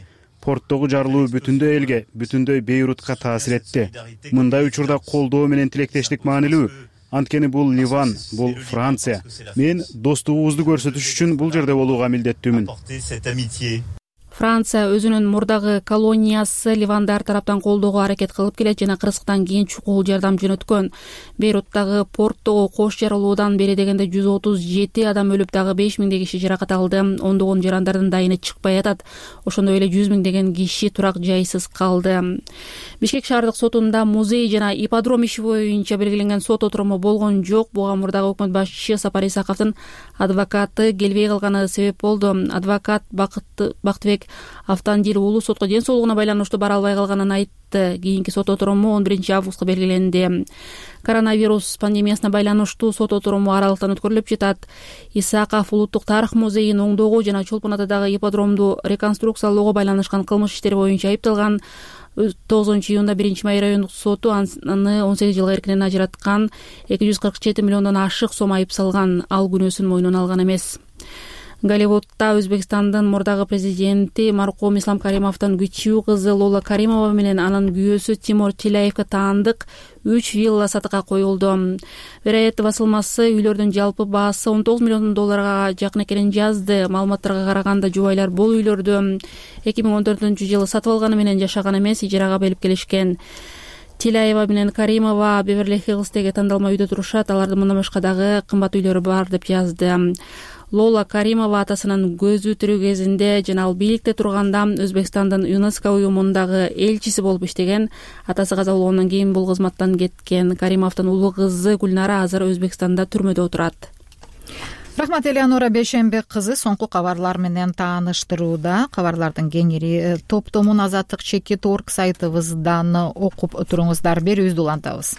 порттогу жарылуу бүтүндөй элге, бүтүндөй Бейрутка таасир этти. Мындай учурда колдоо менен тилектештик маанилүү. Анткени бул Ливан, бул Франция. Мен достугубузду көрсөтүш үчүн бул жерде болууга милдеттүүмүн. Франция өзүнүн мурдагы колониясы Ливандар тараптан колдоого аракет кылып келет жана кырсыктан кийин чукул жардам жөнөткөн. Бейруттагы порттогу кош жарылуудан бери дегенде 137 адам өлүп, дагы 5000 киши жаракат алды. Ондогон жарандардын дайыны чыкпай атат. Ошондой эле 100 киши турак жайсыз калды. Бишкек шаардык сотунда музей жана ипподром иши боюнча белгиленген сот отуруму болгон жок. Буга мурдагы өкмөт башчысы Сапар Исаковдун адвокаты келбей калганы себеп болду. Адвокат Бактыбек Автандил уулу сотко ден соолугуна байланыштуу бара албай калганын айтты. Кийинки сот отуруму 11-августка белгиленди. Коронавирус пандемиясына байланыштуу сот отуруму аралыктан өткөрүлүп жатат. Исаков улуттук тарых музейин оңдоого жана Чолпон Атадагы ипподромду реконструкциялоого байланышкан кылмыш иштери боюнча айыпталган. 9-июнда 1-Май райондук соту аны 18 жылга эркинен ажыраткан, 247 миллиондон ашык сом айып салган. Ал күнөөсүн мойнуна алган эмес. Голливудда Өзбекстандын мурдагы президенти маркум Ислам Каримовдун кичүү кызы Лола Каримова менен анын күйөөсү Тимур Тилаевге таандык 3 вилла сатыкка коюлду. Вероятты басылмасы үйлөрдүн жалпы баасы 19 миллион долларга жакын экенин жазды. Маалыматтарга караганда жубайлар бул үйлөрдү 2014-жылы сатып алганы менен жашаган эмес, ижарага белип келишкен. Тилаева менен Каримова Беверли-Хиллздеги тандалма үйдө турушат. Алардын мындан башка дагы кымбат үйлөрү бар деп жазды. Лола Каримова атасынын көзү тирүү кезинде жана ал бийликте турганда Өзбекстандын ЮНЕСКО уюмундагы элчиси болуп иштеген. Атасы каза болгондон кийин бул кызматтан кеткен. Каримовдун улуу кызы Гүлнара азыр Өзбекстанда түрмөдө отурат. Рахмат, Элеонора Бейшембек кызы соңку кабарлар менен тааныштырууда. Кабарлардын кеңири топтомун Азаттык Чекит.org сайтыбыздан окуп туруңуздар. Берүүбүздү улантабыз.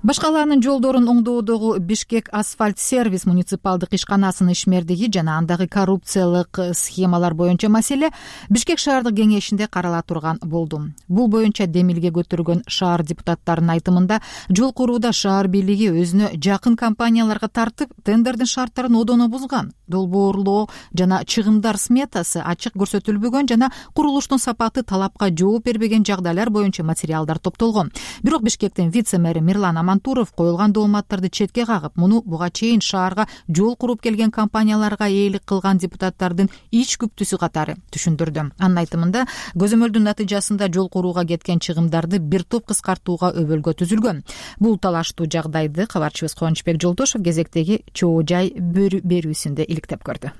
Башкалаанын жолдорун оңдоодогу Бишкек асфальт сервис муниципалдык ишканасынын ишмердиги жана андагы коррупциялык схемалар боюнча маселе Бишкек шаардык кеңешинде карала турган болду. Бул боюнча демилге көтөргөн шаар депутаттарынын айтымында жол курууда шаар бийлиги өзүнө жакын компанияларга тартып, тендердин шарттарын одоно бузган. Долбоорлоо жана чыгымдар сметасы ачык көрсөтүлбөгөн жана курулуштун сапаты талапка жооп бербеген жагдайлар боюнча материалдар топтолгон. Бирок Бишкектин вице-мэри Мирлан Амантуров коюлган дооматтарды четке кагып, муну буга чейин шаарга жол куруп келген компанияларга ээлик кылган депутаттардын ич күптүүсү катары түшүндүрдү. Анын айтымында көзөмөлдүн натыйжасында жол курууга кеткен чыгымдарды бир топ кыскартууга өбөлгө түзүлгөн. Бул талаштуу жагдайды кабарчыбыз Кубанычбек Жолдошов кезектеги чоо жай берүүсүндө иликтеп көрдү.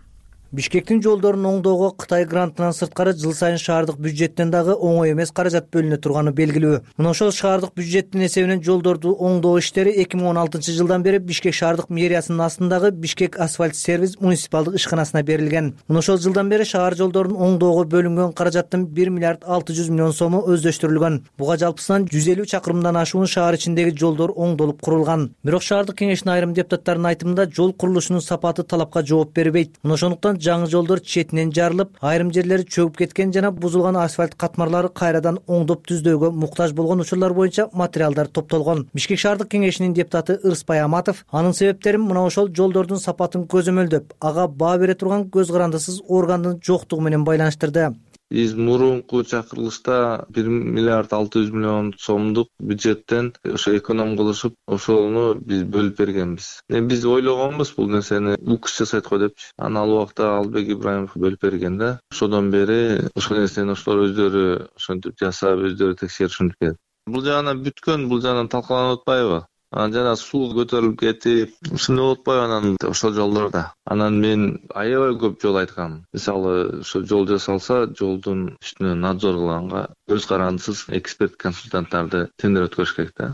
Бишкектин жолдорун оңдоого Кытай грантынан сырткары жыл сайын шаардык бюджеттен дагы оңой эмес каражат бөлүнө турганы белгилүү. Мына ошол шаардык бюджеттин эсебинен жолдорду оңдоо иштери 2016-жылдан бери Бишкек шаардык мэриясынын астындагы Бишкек асфальт сервис муниципалдык ишканасына берилген. Мына ошол жылдан бери шаар жолдорун оңдоого бөлүнгөн каражаттын 1 миллиард 600 миллион сому өздөштүрүлгөн. Буга жалпысынан 150 чакырымдан ашуун шаар ичиндеги жолдор оңдолуп курулган. Бирок шаардык кеңештин айрым депутаттарынын айтымында жол курулушунун сапаты талапка жооп бербейт. Мына ошондуктан жаңы жолдор четинен жарылып, айрым жерлери чөгүп кеткен жана бузулган асфальт катмарлары кайрадан оңдоп түздөөгө муктаж болгон учурлар боюнча материалдар топтолгон. Бишкек шаардык кеңешинин депутаты Ырысбай Аматов анын себептерин мына ошол жолдордун сапатын көзөмөлдөп, ага баа бере турган көз карандысыз органдын жоктугу менен байланыштырды. Биз мурунку чакырылышта 1 миллиард 600 миллион сомдук бюджеттен ошо эконом кылышып, ошону биз бөлүп бергенбиз. Биз ойлогонбуз бул нерсени укс жасайт го депчи. Анан ал убакта Албек Ибраимов бөлүп берген да. Ошодон бери ошол нерсени ошолор өздөрү ошентип жасап, өздөрү текшеришип келет. Бул жагынан бүткөн, бул жагынан талкаланып атпайбы? Жана суу көтөрүлүп кетип, ушундай болуп атпайбы анан ошол жолдордо. Анан мен аябай көп жол айткам. Мисалы, ошо жол жасалса, жолдун үстүнө надзор кылганга көз карандысыз эксперт консультанттарды тендер өткөрүш керек да.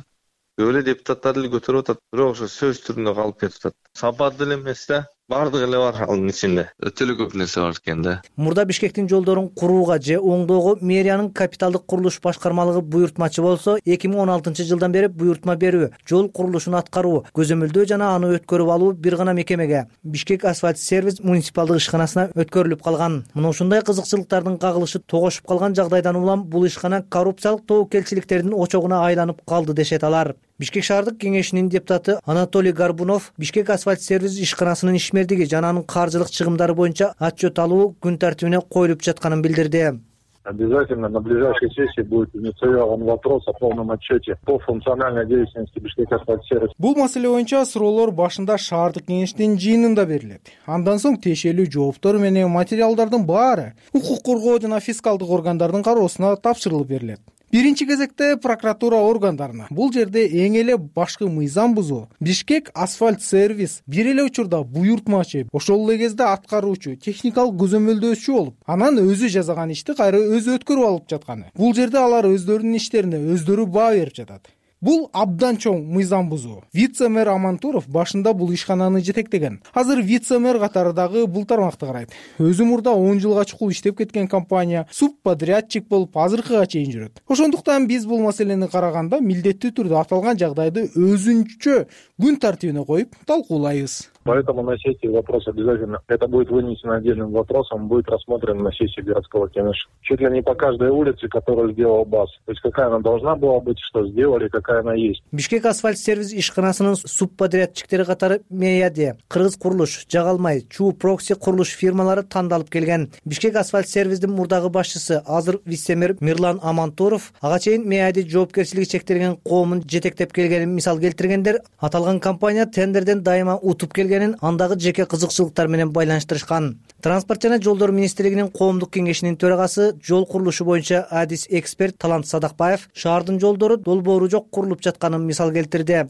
Көп эле депутаттар деле көтөрүп атат, бирок ошо сөз түрүндө калып кетип атат. Сапат деле эмес да. Бардыгы эле бар анын ичинде. Өтө эле көп нерсе бар экен да. Мурда Бишкектин жолдорун курууга же оңдоого мэриянын капиталдык курулуш башкармалыгы буйртмачы болсо, 2016-жылдан бери буйртма берүү, жол курулушун аткаруу, көзөмөлдөө жана аны өткөрүп алуу бир гана мекемеге, Бишкек асфальт сервис муниципалдык ишканасына өткөрүлүп калган. Мына ушундай кызыкчылыктардын кагылышы тогошуп калган жагдайдан улам бул ишкана коррупциялык тобокелчиликтердин очогуна айланып калды дешет алар. Бишкек шаардык кеңешинин депутаты Анатолий Горбунов Бишкек асфальт сервис ишканасынын ишмердиги жана анын каржылык чыгымдары боюнча отчет алуу күн тартибине коюлуп жатканын билдирди. Обязательно на ближайшей сессии будет инициирован вопрос о полном отчете по функциональной деятельности Бишкек асфальт-сервис. Бул маселе боюнча суроолор башында шаардык кеңештин жыйынында берилет. Андан соң тиешелүү жооптор менен материалдардын баары укук коргоо жана фискалдык органдардын кароосуна тапшырылып берилет. Биринчи кезекте прокуратура органдарына. Бул жерде эң эле башкы мыйзам бузуу. Бишкек асфальт сервис бир эле учурда буйртмачы, ошол эле кезде аткаруучу, техникалык көзөмөлдөөчү болуп, анан өзү жасаган ишти кайра өзү өткөрүп алып жатканы. Бул жерде алар өздөрүнүн иштерине өздөрү баа берип жатат. Бул абдан чоң мыйзам бузуу. Вице-мэр Амантуров башында бул ишкананы жетектеген. Азыр вице-мэр катары дагы бул тармакты карайт. Өзү мурда 10 жылга чукул иштеп кеткен компания субподрядчик болуп азыркыга чейин жүрөт. Ошондуктан биз бул маселени караганда милдеттүү түрдө аталган жагдайды өзүнчө күн тартибине коюп талкуулайбыз. Поэтому на сессии вопрос обязательно, это будет вынесено отдельным вопросом, будет рассмотрен на сессии городского кеңеша. Чуть ли не по каждой улице, которую сделал БАС. То есть какая она должна была быть, что сделали, какая она есть. Бишкек асфальт сервис ишканасынын субподрядчиктери катары Меяде, Кыргыз курулуш, Жагалмай, Чуу Прокси курулуш фирмалары тандалып келген. Бишкек асфальт сервистин мурдагы башчысы азыр вице-мэр Мирлан Амантуров ага чейин Меяде жоопкерчилиги чектелген коомун жетектеп келгенин мисал келтиргендер, аталган компания тендерден дайыма утуп келгенин андагы жеке кызыкчылыктар менен байланыштырышкан. Транспорт жана жолдор министрлигинин коомдук кеңешинин төрагасы, жол курулушу боюнча адис эксперт Талант Садакбаев шаардын жолдору долбоору жок курулуп жатканын мисал келтирди.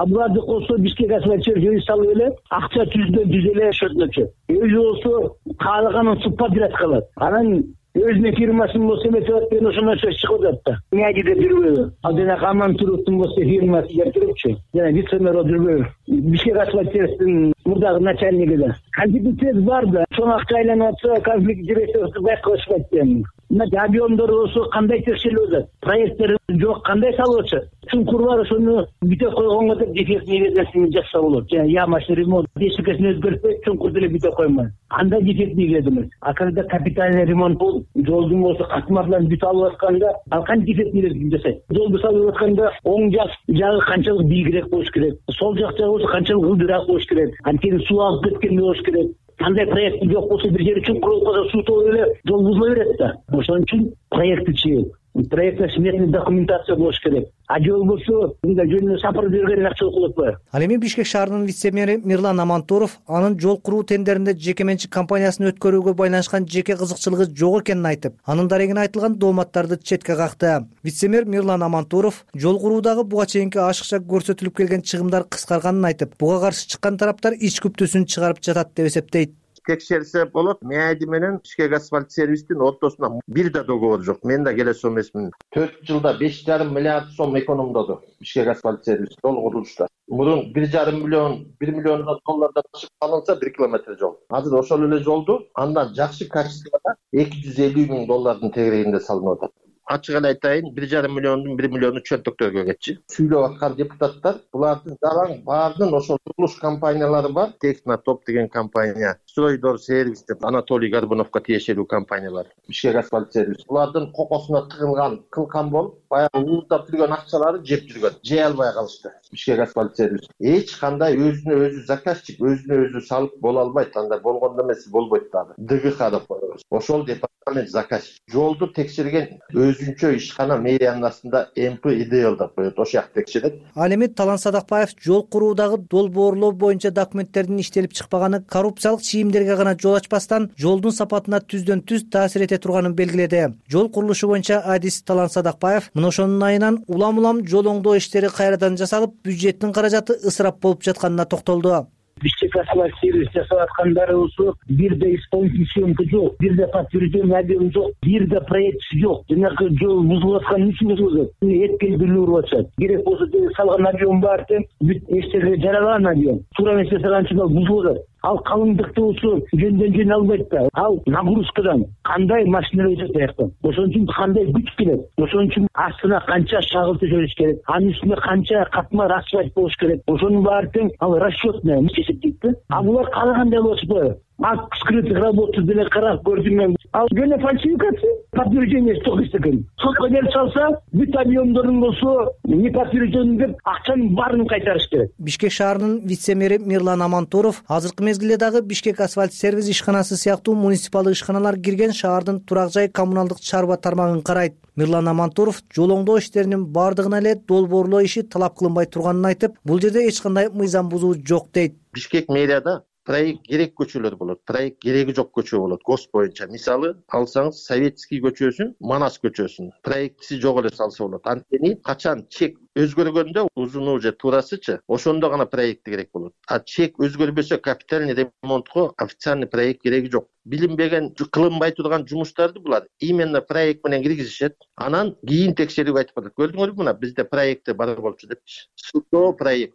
Буларды косо Бишкек асфальт сервис салып эле акча түздөн эле өчөтмөкчү. Өзү болсо каалаганын субподряд кылат. Анан өзүнүн фирмасын болсо эметип ошондон сөз чыгып атат да. Меадиде жүрбөйбү. Ал жана Амантуровдун болсо фирмасы келтирипчи. Жана вице-мэр жүрбөйбү. Бишкек асфальт сервистин мурдагы начальниги да. Конфликт бар да. Чоң акча айланып атса, конфликт директору байкалышпайт экен. Мына объемдор болсо кандай текшерилип атат? Проекттер жок, кандай салып атышат? Чуңкур бар, ошону бүтөп койгонго деп дефектный версиясын жасап болот. Жана ямачный ремонт, бешикесин өзгөртпөй, чуңкур деле бүтөп коймой. Андай дефектный эмес. А когда капитальный ремонт болуп, жолдун болсо катмарларын бүтүп алып атканда, ал кантип дефектный жасайт? Жолду салып атканда оң жагы канчалык бийигирээк болуш керек? Сол жак жагы болсо канчалык ылдыраак болуш керек? Анткени суу алып кеткендей болуш керек. Кандай проект жок болсо бир жери чуңкур болуп калса суу толуп эле жол бузула берет да. Ошон үчүн проектчи проектный сметный документация болуш керек. А жол болсо мындай жөнүнө сапар берген акчалык болот го. Ал эми Бишкек шаарынын вице-мэри Мирлан Амантуров анын жол куруу тендеринде жеке менчик компаниясын өткөрүүгө байланышкан жеке кызыкчылыгы жок экенин айтып, анын дарегине айтылган дооматтарды четке какты. Вице-мэр Мирлан Амантуров жол куруудагы буга чейинки ашыкча көрсөтүлүп келген чыгымдар кыскарганын айтып, буга каршы чыккан тараптар ич күптүүсүн чыгарып жатат деп эсептейт. Текшерсе болот. Меади менен Бишкек асфальт сервистин ортосуна бир да договор жок. Мен да келесем эмесмин. 4 жылда 5,5 миллиард сом экономдоду Бишкек асфальт сервис жол курулушта. Мурун 1,5 миллион, 1 миллион доллардан ашык алынса 1 километр жол. Азыр ошол эле жолду андан жакшы качествода 250 миң доллардын тегерегинде салынып атат. Ачык эле айтайын, 1,5 миллиондун 1 миллиону чөнтөктөргө кетчи. Сүйлөп аткан депутаттар булардын жалаң баардын ошол курулуш компаниялары бар. Технотоп деген компания, Стройдор сервис деп Анатолий Горбуновго тиешелүү компаниялар, Бишкек асфальт сервис. Булардын кокосуна тыгылган кылкан болуп, баягы уурдап жүргөн акчалары жеп жүргөн. Жей албай калышты Бишкек асфальт сервис. Эч кандай өзүнө өзү заказчик, өзүнө өзү салып боло албайт. Анда болгондо эмес болбойт дагы. ДГХ деп коебуз. Ошол департамент заказчик. Жолду текшерген өзүнчө ишкана мэриянын астында МП идеал деп коет, ошол жакты текшерет. Ал эми Талант Садакбаев жол куруудагы долбоорлоо боюнча документтердин иштелип чыкпаганы коррупциялык чийимдерге гана жол ачпастан жолдун сапатына түздөн түз таасир эте турганын белгиледи. Жол курулушу боюнча адис Талант Садакбаев мына ошонун айынан улам жол оңдоо иштери кайрадан жасалып, бюджеттин каражаты ысырап болуп жатканына токтолду. Бишкек асфальт сервис жасап аткандары болсо бир да исполнительный съемка жок, бир да подтверждение объема жок, бир да проект жок. Жанагы жол бузулуп аткан үчүн бузулат. Эткелдүүлүү уруп атышат. Керек болсо салган объем бар деп бүт эчтеке жаралаган объем. Туура эмес жасаган үчүн ал бузулуп атат. Ал калыңдыкты болсо жөндөн албайт да. Ал нагрузкадан кандай машиналар өтөт аяктан. Ошон үчүн кандай күч келет. Ошон үчүн астына канча шагыл төшөлүш керек. Анын үстүнө канча катмар асфальт болуш керек. Ошонун баары тең ал расчетный эсептейт да. А булар каалагандай болуп атпайбы? скрытых работ деле карап көрдүм мен. Ал гене фальсификация, подтверждение стокист экен. Сотко келип салса, бүт объемдорун болсо, не подтвержден деп акчанын баарын кайтарыш керек. Бишкек шаарынын вице-мэри Мирлан Амантуров азыркы мезгилде дагы Бишкек асфальт сервис ишканасы сыяктуу муниципалдык ишканалар кирген шаардын турак жай коммуналдык чарба тармагын карайт. Мирлан Амантуров жол оңдоо иштеринин баардыгына эле долбоорлоо иши талап кылынбай турганын айтып, бул жерде эч кандай мыйзам бузуу жок дейт. Бишкек мэрияда проект керек көчөлөр болот, проект кереги жок көчө болот ГОСТ боюнча. Мисалы алсаңыз Советский көчөсүн, Манас көчөсүн проектиси жок эле салса болот. Анткени качан чек өзгөргөндө узуну же туурасычы ошондо гана проекти керек болот. А чек өзгөрбөсө капитальный ремонтко официальный проект кереги жок. Билинбеген, кылынбай турган жумуштарды булар именно проект менен киргизишет. Анан кийин текшерип айтып атат. Көрдүңөрбү мына бизде проекти бар болчу депчи. Судо проект.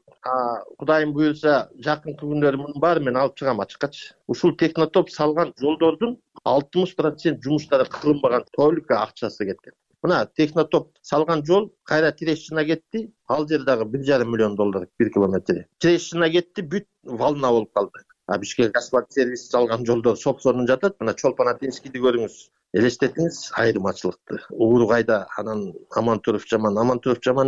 Кудайым буюрса жакынкы күндөрү мунун баары мен алып чыгам ачыккачы. Ушул технотоп салган жолдордун 60% жумуштары кылынбаган, только акчасы кеткен. Мына технотоп салган жол кайра Терещина кетти, ал жер дагы $1,5 миллион $1 километри. Терещина кетти, бүт волна болуп калды. Бишкек асфальт сервис салган жолдор сопсонун жатат. Мына Чолпан-Атинскийди көрүңүз. Элестетиңиз айырмачылыкты. Ууру кайда, анан Амантуров жаман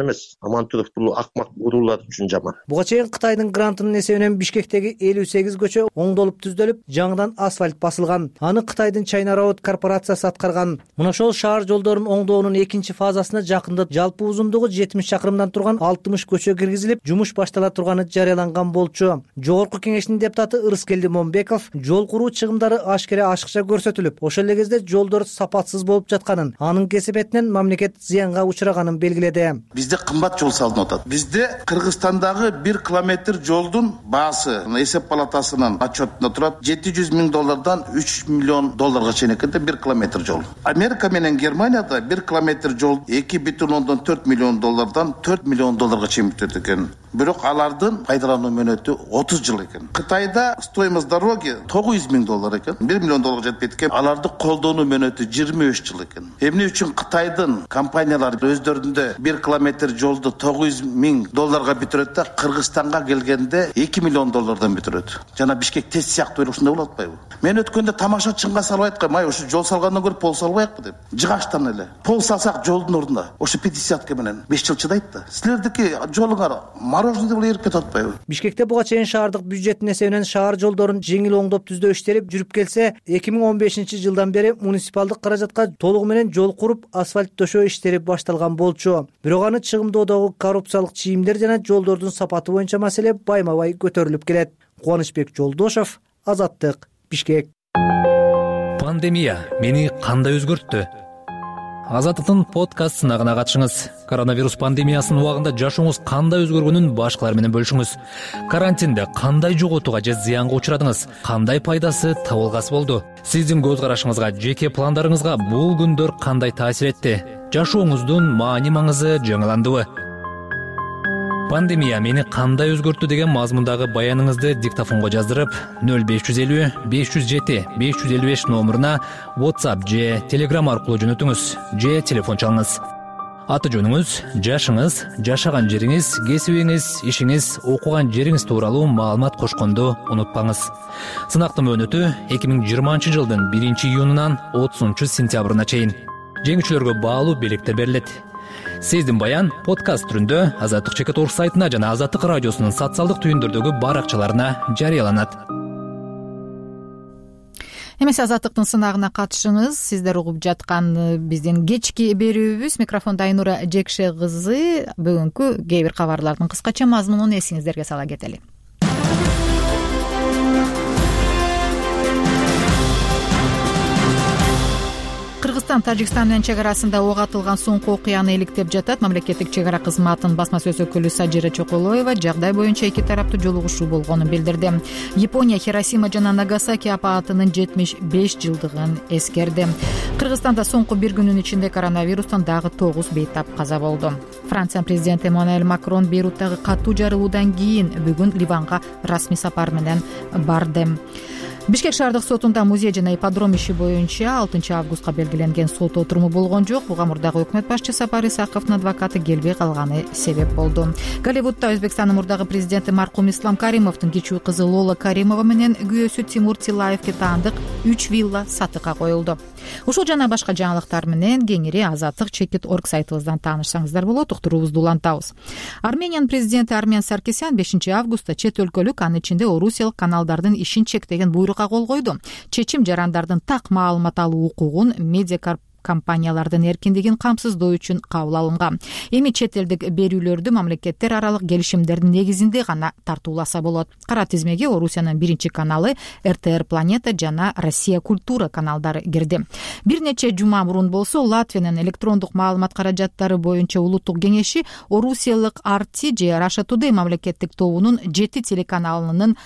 эмес. Амантуров бул акмак уруулар үчүн жаман. Буга чейин Кытайдын грантынын эсебинен Бишкектеги 58 көчө оңдолуп түздөлүп, жаңыдан асфальт басылган. Аны Кытайдын China Road корпорациясы аткарган. Мына ошол шаар жолдорун оңдоонун экинчи фазасына жакында жалпы узундугу 70 чакырымдан турган 60 көчө киргизилип, жумуш баштала турганы жарыяланган болчу. Жогорку кеңештин депутаты Ырыскелди Момбеков жол куруу чыгымдары ашыкча көрсөтүлүп, ошол эле кезде жолдор сапатсыз болуп жатканын, анын кесепетинен мамлекет зыянга учураганын белгиледи. Бизде кымбат жол салынып атат. Бизде Кыргызстандагы 1 километр жолдун баасы эсеп палатасынын отчетунда турат $700 миң $3 миллион чейин экен 1 километр жол. Америка менен Германияда 1 километр жол $2,4 миллион $4 миллион чейин бүтөт экен. Бирок алардын пайдалануу мөөнөтү 30 жыл экен. Кытайда стоимость дороги $900 миң экен, $1 миллион жетпейт экен. Аларды колдонуу мөөнөтү 23 жыл экен. Эмне үчүн Кытайдын компаниялары өздөрүндө 1 километр жолду $900 миң бүтүрөт да Кыргызстанга келгенде $2 миллион бүтүрөт. Жана Бишкек тест сыяктуу ушундай болуп атпайбы? Мен өткөндө тамаша чыңга салып айткам, ошо жол салгандан көрүп пол салбайыкпы деп. Жыгачтан эле. Пол салсак жолдун ордуна ошо 50 менен 5 жыл чыдайт да. Силердики жолуңар мороженый деп эрип кетип атпайбы? Бишкекте буга чейин шаардык бюджеттин эсебинен шаар жолдорун жеңил оңдоп түздөө иштери жүрүп келсе, 2015 жылдан бери муниципалдык каражатка толугу менен жол куруп, асфальт төшөө иштери башталган болчу. Бирок аны чыгымдоодогу коррупциялык чийимдер жана жолдордун сапаты боюнча маселе байма-бай көтөрүлүп келет. Кубанычбек Жолдошов, Азаттык, Бишкек. Пандемия мени кандай өзгөрттү? Азаттыктын подкаст сынагына катышыңыз. Коронавирус пандемиясынын убагында жашооңуз кандай өзгөргөнүн башкалар менен бөлүшүңүз. Карантинде кандай жоготууга же зыянга учурадыңыз? Кандай пайдасы табылгасы болду? Сиздин көз карашыңызга, жеке пландарыңызга бул күндөр кандай таасир этти? Жашооңуздун маани-маңызы жаңыландыбы? Пандемия мени кандай өзгөрттү деген мазмундагы баяныңызды диктофонго жаздырып 0550 507 555 номуруна WhatsApp же Telegram аркылуу жөнөтүңүз же телефон чалыңыз. Аты жөнүңүз, жашыңыз, жашаган жериңиз, кесибиңиз, ишиңиз, окуган жериңиз тууралуу маалымат кошконду унутпаңыз. Сынактын мөөнөтү 2020 жылдын 1-июнунан 30-сентябрына чейин. Жеңүүчүлөргө баалуу белектер берилет. Сиздин баян подкаст түрүндө Азаттык.org сайтына жана Азаттык радиосунун социалдык түйүндөрдөгү баракчаларына жарыяланат. Эмесе Азаттыктын сынагына катышыңыз. Сиздер угуп жаткан биздин кечки берүүбүз. Микрофондо Айнура Жекше кызы. Бүгүнкү кээ бир кабарлардын кыскача мазмунун эсиңиздерге сала кетели. Кыргызстан Тажикстан менен чек арасында ок атылган соңку окуяны иликтеп жатат. Мамлекеттик чек ара кызматынын басма сөз өкүлү Сажира Чоколоева жагдай боюнча эки тараптуу жолугушуу болгонун билдирди. Япония Хиросима жана Нагасаки апаатынын 75 жылдыгын эскерди. Кыргызстанда соңку бир күнүн ичинде коронавирустан дагы 9 бейтап каза болду. Франция президенти Эммануэль Макрон Бейруттагы катуу жарылуудан кийин бүгүн Ливанга расмий сапар менен барды. Бишкек шаардык сотунда музей жана ипподром иши боюнча 6 августка белгиленген сот отуруму болгон жок. Буга мурдагы өкмөт башчы Сапар Исаковдун адвокаты келбей калганы себеп болду. Голливудда Өзбекстандын мурдагы президенти маркум Ислам Каримовдун кичүү кызы Лола Каримова менен күйөөсү Тимур Тилаевге таандык 3 вилла сатыкка коюлду. Ушул жана башка жаңылыктар менен кеңири Азаттык Чекит.org сайтыбыздан таанышсаңыздар болот. Уктуруубузду улантабыз. Армениянын президенти Армен Саркисян 5 августта чет өлкөлүк, анын ичинде орусиялык каналдардын ишин чектеген буйрукка кол койду. Чечим жарандардын так маалымат алуу укугун, медиа компаниялардын эркиндигин камсыздоо үчүн кабыл алынган. Эми чет элдик берүүлөрдү мамлекеттер аралык келишимдердин негизинде гана тартууласа болот. Кара тизмеге Орусиянын биринчи каналы, РТР Планета жана Россия Культура каналдары кирди. Бир нече жума мурун болсо Латвиянын электрондук маалымат каражаттары боюнча улуттук кеңеши орусиялык RT же Russia Today мамлекеттик тобунун 7 телеканалынын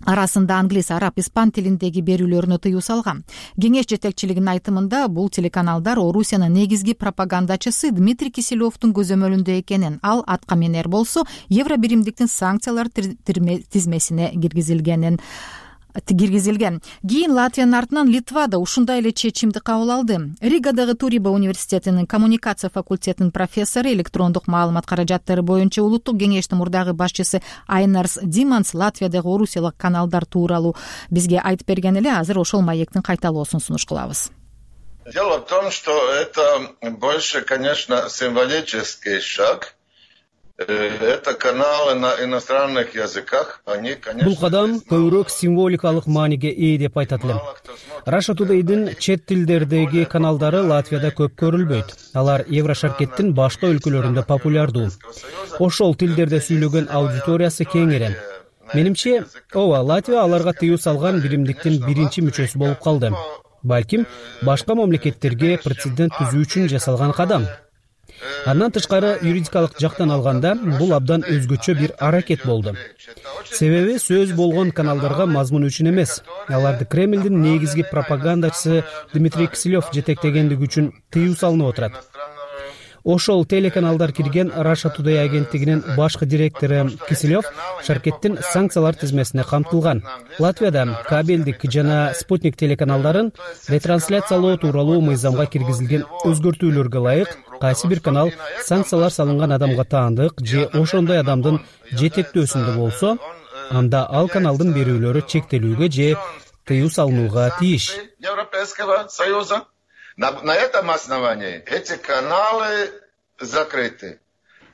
арасында англис, араб, испан тилиндеги берүүлөрүнө тыюу салган. Кеңеш жетекчилигинин айтымында бул телеканалдар Орусиянын негизги пропагандачысы Дмитрий Киселевдун көзөмөлүндө экенин, ал атка минер болсо Евро биримдиктин санкциялар тизмесине киргизилген. Кийин Латвиянын артынан Литва да ушундай эле чечимди кабыл алды. Ригадагы Туриба университетинин коммуникация факультетинин профессору, электрондук маалымат каражаттары боюнча улуттук кеңештин мурдагы башчысы Айнарс Диманс Латвиядагы орусиялык каналдар тууралуу бизге айтып берген эле. Азыр ошол маектин кайталоосун сунуш кылабыз. Дело в том, что это больше, конечно, символический шаг. Это каналы на иностранных языках. Бул кадам көбүрөөк символикалык мааниге ээ деп айтат элем. Russia Today'дин чет тилдердеги каналдары Латвияда көп көрүлбөйт. Алар Еврошаркеттин башка өлкөлөрүндө популярдуу. Ошол тилдерде сүйлөгөн аудиториясы кеңири. Менимче, Латвия аларга тыюу салган биримдиктин биринчи мүчөсү болуп калды. Балким башка мамлекеттерге прецедент түзүү үчүн жасалган кадам. Андан тышкары юридикалык жактан алганда бул абдан өзгөчө бир аракет болду. Себеби сөз болгон каналдарга мазмун үчүн эмес, аларды Кремлдин негизги пропагандачысы Дмитрий Киселев жетектегендиги үчүн тыюу салынып отурат. Ошол телеканалдар кирген Russia Today агенттигинин башкы директору Киселев шаркеттин санкциялар тизмесине камтылган. Латвияда кабелдик жана спутник телеканалдарын ретрансляциялоо тууралуу мыйзамга киргизилген өзгөртүүлөргө ылайык кайсы бир канал санкциялар салынган адамга таандык же ошондой адамдын жетектөөсүндө болсо, анда ал каналдын берүүлөрү чектелүүгө же тыюу салынууга тийиш. Европейского Союза. На этом основании эти каналы закрыты.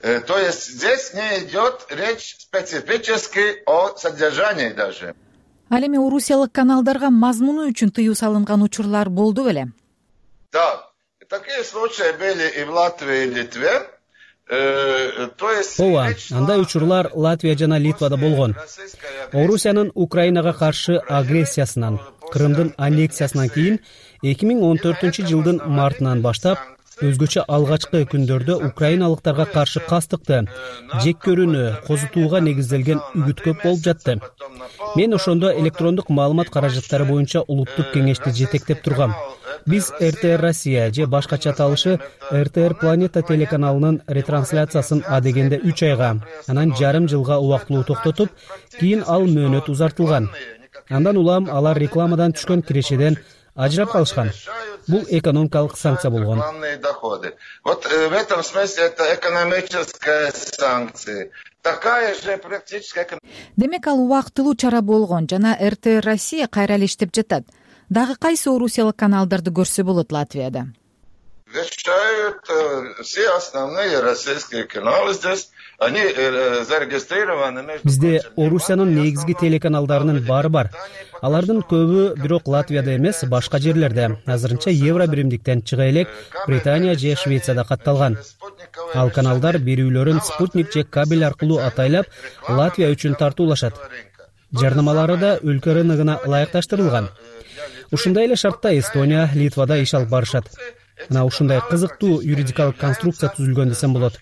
То есть здесь не идет речь специфически о содержании даже. Ал эми орусиялык каналдарга мазмуну үчүн тыюу салынган учурлар болду беле? Да, такие случаи были и в Латвии, и в Литве. Андай учурлар Латвия жана Литвада болгон. Орусиянын Украинага каршы агрессиясынан, Крымдын аннексиясынан кийин 2014-жылдын мартынан баштап өзгөчө алгачкы күндөрдө украиналыктарга каршы кастыкты, жек көрүүнү козутууга негизделген үгүт көп болуп жатты. Мен ошондо электрондук маалымат каражаттары боюнча улуттук кеңешти жетектеп тургам. Биз РТР Россия же башкача аталышы РТР Планета телеканалынын ретрансляциясын адегенде 3 айга, анан жарым жылга убактылуу токтотуп, кийин ал мөөнөт узартылган. Андан улам алар рекламадан түшкөн кирешеден ажырап калышкан. Бул экономикалык санкция болгон. Вот в этом смысле это экономическая санкция. Такая же практическая. Демек ал убактылуу чара болгон жана РТР Россия кайра эле иштеп жатат. Дагы кайсы орусиялык каналдарды көрсө болот Латвияда? Вещают все основные российские каналы здесь. Они зарегистрированы. Бизде Орусиянын негизги телеканалдарынын баары бар. Алардын көбү бирок Латвияда эмес, башка жерлерде. Азырынча евро биримдиктен чыга элек Британия же Швецияда катталган. Ал каналдар берүүлөрүн спутник же кабель аркылуу атайлап Латвия үчүн тартуулашат. Жарнамалары да өлкө рыногуна ылайыкташтырылган. Ушундай эле шартта Эстония, Литвада иш алып барышат. Мына ушундай кызыктуу юридикалык конструкция түзүлгөн десем болот.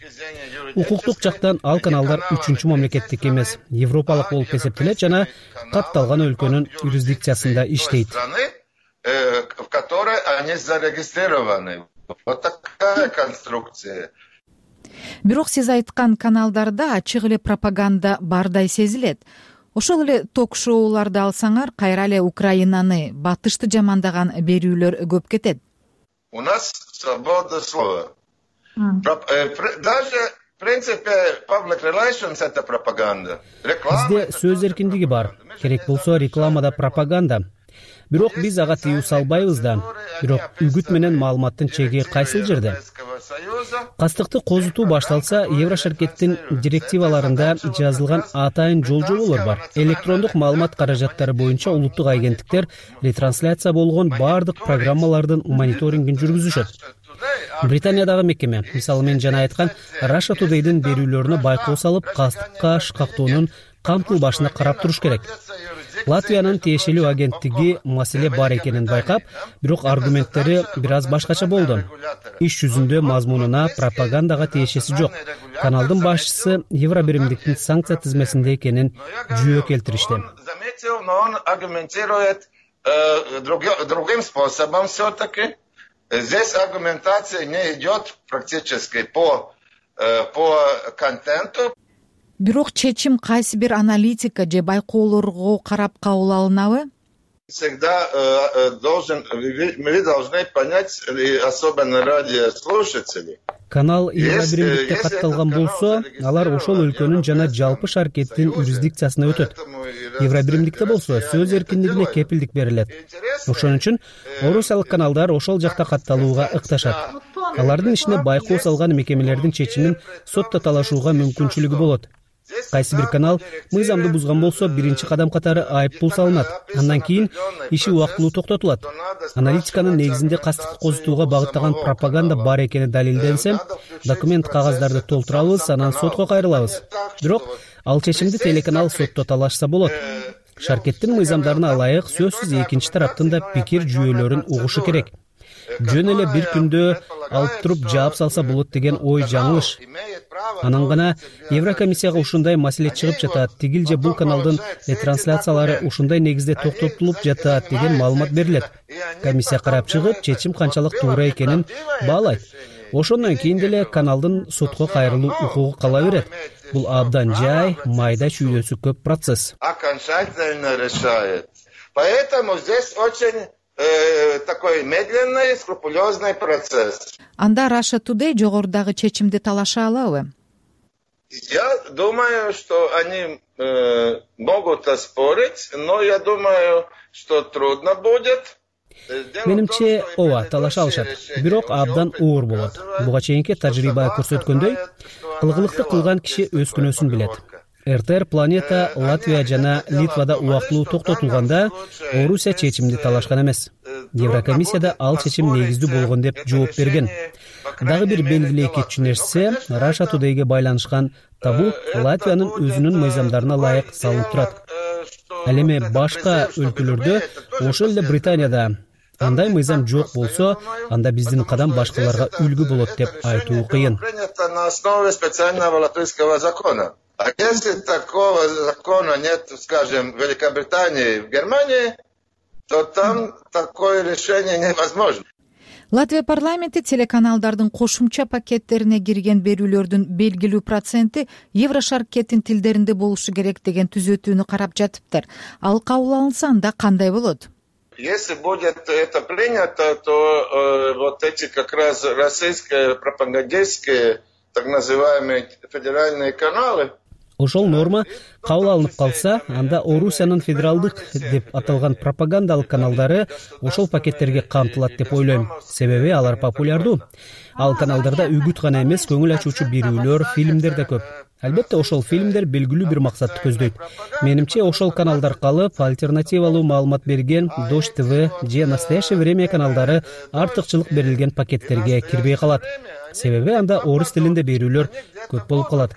Укуктук жактан ал каналдар 3-чү мамлекеттик эмес, европалык болуп эсептелет жана катталган өлкөнүн юрисдикциясында иштейт. В которой они зарегистрированы. Вот такая конструкция. Бирок сиз айткан каналдарда ачык эле пропаганда бардай сезилет. ошол эле ток-шоуларды алсаңар, кайра эле Украинаны, батышты жамандаган берүүлөр көп кетет. У нас свобода слова. Даже в принципе public relations это пропаганда. Бизде сөз эркиндиги бар. Керек болсо рекламада пропаганда. Бирок биз ага тыюу салбайбыз да. Бирок үгүт менен маалыматтын чеги кайсыл жерде? Кастыкты козутуу башталса, Еврошаркеттин директиваларында жазылган атайын жол-жоболор бар. Электрондук маалымат каражаттары боюнча улуттук агенттиктер ретрансляция болгон бардык программалардын мониторингин жүргүзүшөт. Британиядагы мекеме, мисалы мен жана айткан Russia Today'дин берүүлөрүнө байкоо салып, кастыкка шкактоонун камтылбашына карап туруш керек. Латвиянын тиешелүү агенттиги маселе бар экенин байкап, бирок аргументтери бир аз башкача болду. Иш жүзүндө мазмунуна пропагандага тиешеси жок. Каналдын башчысы Евробиримдиктин санкция тизмесинде экенин жүйө келтиришти. Он аргументирует другим способом все-таки. Здесь аргументация не идет практически по контенту. Бирок чечим кайсы бир аналитика же байкоолорго карап кабыл алынабы? Всегда мы должны понять, особенно радиослушатели. Канал Евробиримдикте катталган болсо, алар ошол өлкөнүн жана жалпы шаркеттин юрисдикциясына өтөт. Евробиримдикте болсо, сөз эркиндигине кепилдик берилет. Ошон үчүн орусиялык каналдар ошол жакта катталууга ыкташат. Алардын ишине байкоо салган мекемелердин чечимин сотто талашууга мүмкүнчүлүгү болот. Кайсы бир канал мыйзамды бузган болсо, биринчи кадам катары айып пул салынат. Андан кийин иши убактылуу токтотулат. Аналитиканын негизинде кастыкты козутууга багыттаган пропаганда бар экени далилденсе, документ кагаздарды толтурабыз, анан сотко кайрылабыз. Бирок ал чечимди телеканал сотто талашса болот. Шаркеттин мыйзамдарына ылайык сөзсүз экинчи тараптын да пикир жүйөлөрүн угушу керек. Жөн эле бир күндө алып туруп жаап салса болот деген ой жаңылыш. Анан гана Еврокомиссияга ушундай маселе чыгып жатат, тигил же бул каналдын ретрансляциялары ушундай негизде токтотулуп жатат деген маалымат берилет. Комиссия карап чыгып, чечим канчалык туура экенин баалайт. Ошондон кийин деле каналдын сотко кайрылуу укугу кала берет. Бул абдан жай, майда чүйдөсү көп процесс. Окончательно решает. Поэтому здесь очень такой медленный, скрупулезный процесс. Анда Russia Today жогорудагы чечимди талаша алабы? Я думаю, что они могут оспорить, но я думаю, что трудно будет. Менимче, ооба, талаша алышат. Бирок абдан оор болот. Буга чейинки тажрыйба көрсөткөндөй, кылгылыкты кылган киши өз күнөөсүн билет. РТР Планета Латвия жана Литвада убактылуу токтотулганда Орусия чечимди талашкан эмес. Еврокомиссияда ал чечим негиздүү болгон деп жооп берген. Дагы бир белгилүү кетчү нерсе, Russia Today'ге байланышкан табуу Латвиянын өзүнүн мыйзамдарына ылайык салынып турат. Ал эми башка өлкөлөрдө, ошол эле Британияда андай мыйзам жок болсо, анда биздин кадам башкаларга үлгү болот деп айтуу кыйын. На основе специального латвийского закона. А если такого закона нет, скажем, в Великобритании и в Германии, то там такое решение невозможно. Латвия парламенти телеканалдардын кошумча пакеттерине кирген берүүлөрдүн белгилүү проценти Еврошаркеттин тилдеринде болушу керек деген түзөтүүнү карап жатыптыр. Ал кабыл алынса, анда кандай болот? Если будет это принято, то вот эти как раз российские пропагандистские так называемые федеральные каналы. Ошол норма кабыл алынып калса, анда Орусиянын федералдык деп аталган пропагандалык каналдары ошол пакеттерге камтылат деп ойлойм. Себеби алар популярдуу. Ал каналдарда үгүт гана эмес, көңүл ачуучу берүүлөр, фильмдер да көп. Албетте ошол фильмдер белгилүү бир максатты көздөйт. Менимче ошол каналдар калып, альтернативалуу маалымат берген Дождь ТВ же Настоящее время каналдары артыкчылык берилген пакеттерге кирбей калат. Себеби анда орус тилинде берүүлөр көп болуп калат.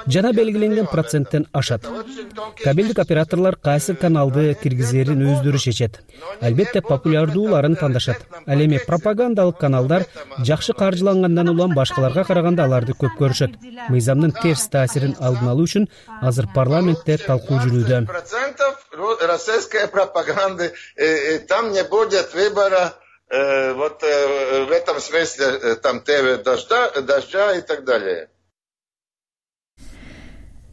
Жана белгиленген проценттен ашат. Кабелдик операторлор кайсы каналды киргизерин өздөрү чечет. Албетте популярдууларын тандашат. Ал эми пропагандалык каналдар жакшы каржылангандан улам башкаларга караганда аларды көп көрүшөт. Мыйзамдын терс таасирин алдын алуу үчүн азыр парламентте талкуу жүрүүдө. Российской пропаганды, там не будет выбора. Вот в этом смысле там ТВ дождя и так далее.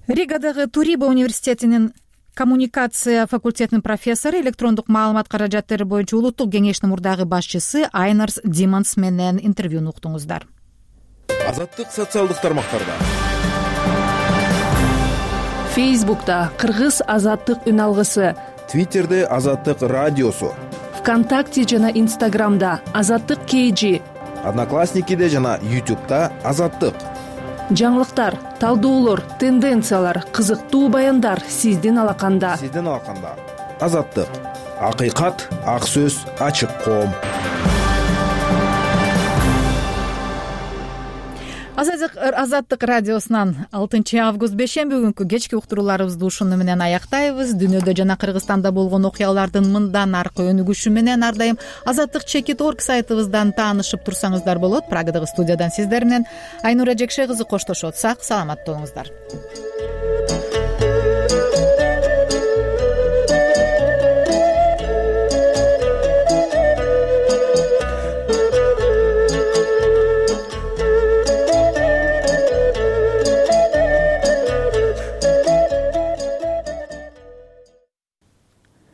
Ригадагы Туриба университетинин коммуникация факультетинин профессору, электрондук маалымат каражаттары боюнча улуттук кеңештин мурдагы башчысы Айнарс Диманс менен интервьюну уктуңуздар. Азаттык социалдык тармактарда. Фейсбукта Кыргыз азаттык үн алгысы, Твиттерде Азаттык радиосу, ВКонтакте жана Инстаграмда Азаттык KG, Одноклассникиде жана YouTube'да Азаттык. Жаңылыктар, талдоолор, тенденциялар, кызыктуу баяндар сиздин алаканда. Азаттык. Акыйкат, ак сөз, ачык коом. Азаттык радиосунан 6 август бейшемби күнкү кечки уктурууларыбызды ушуну менен аяктайбыз. Дүйнөдө жана Кыргызстанда болгон окуялардын мындан аркы өнүгүшү менен ар дайым azattik.org сайтыбыздан таанышып турсаңыздар болот. Прагадагы студиядан сиздер менен Айнура Жекше кызы коштошот. Сак саламатта болуңуздар.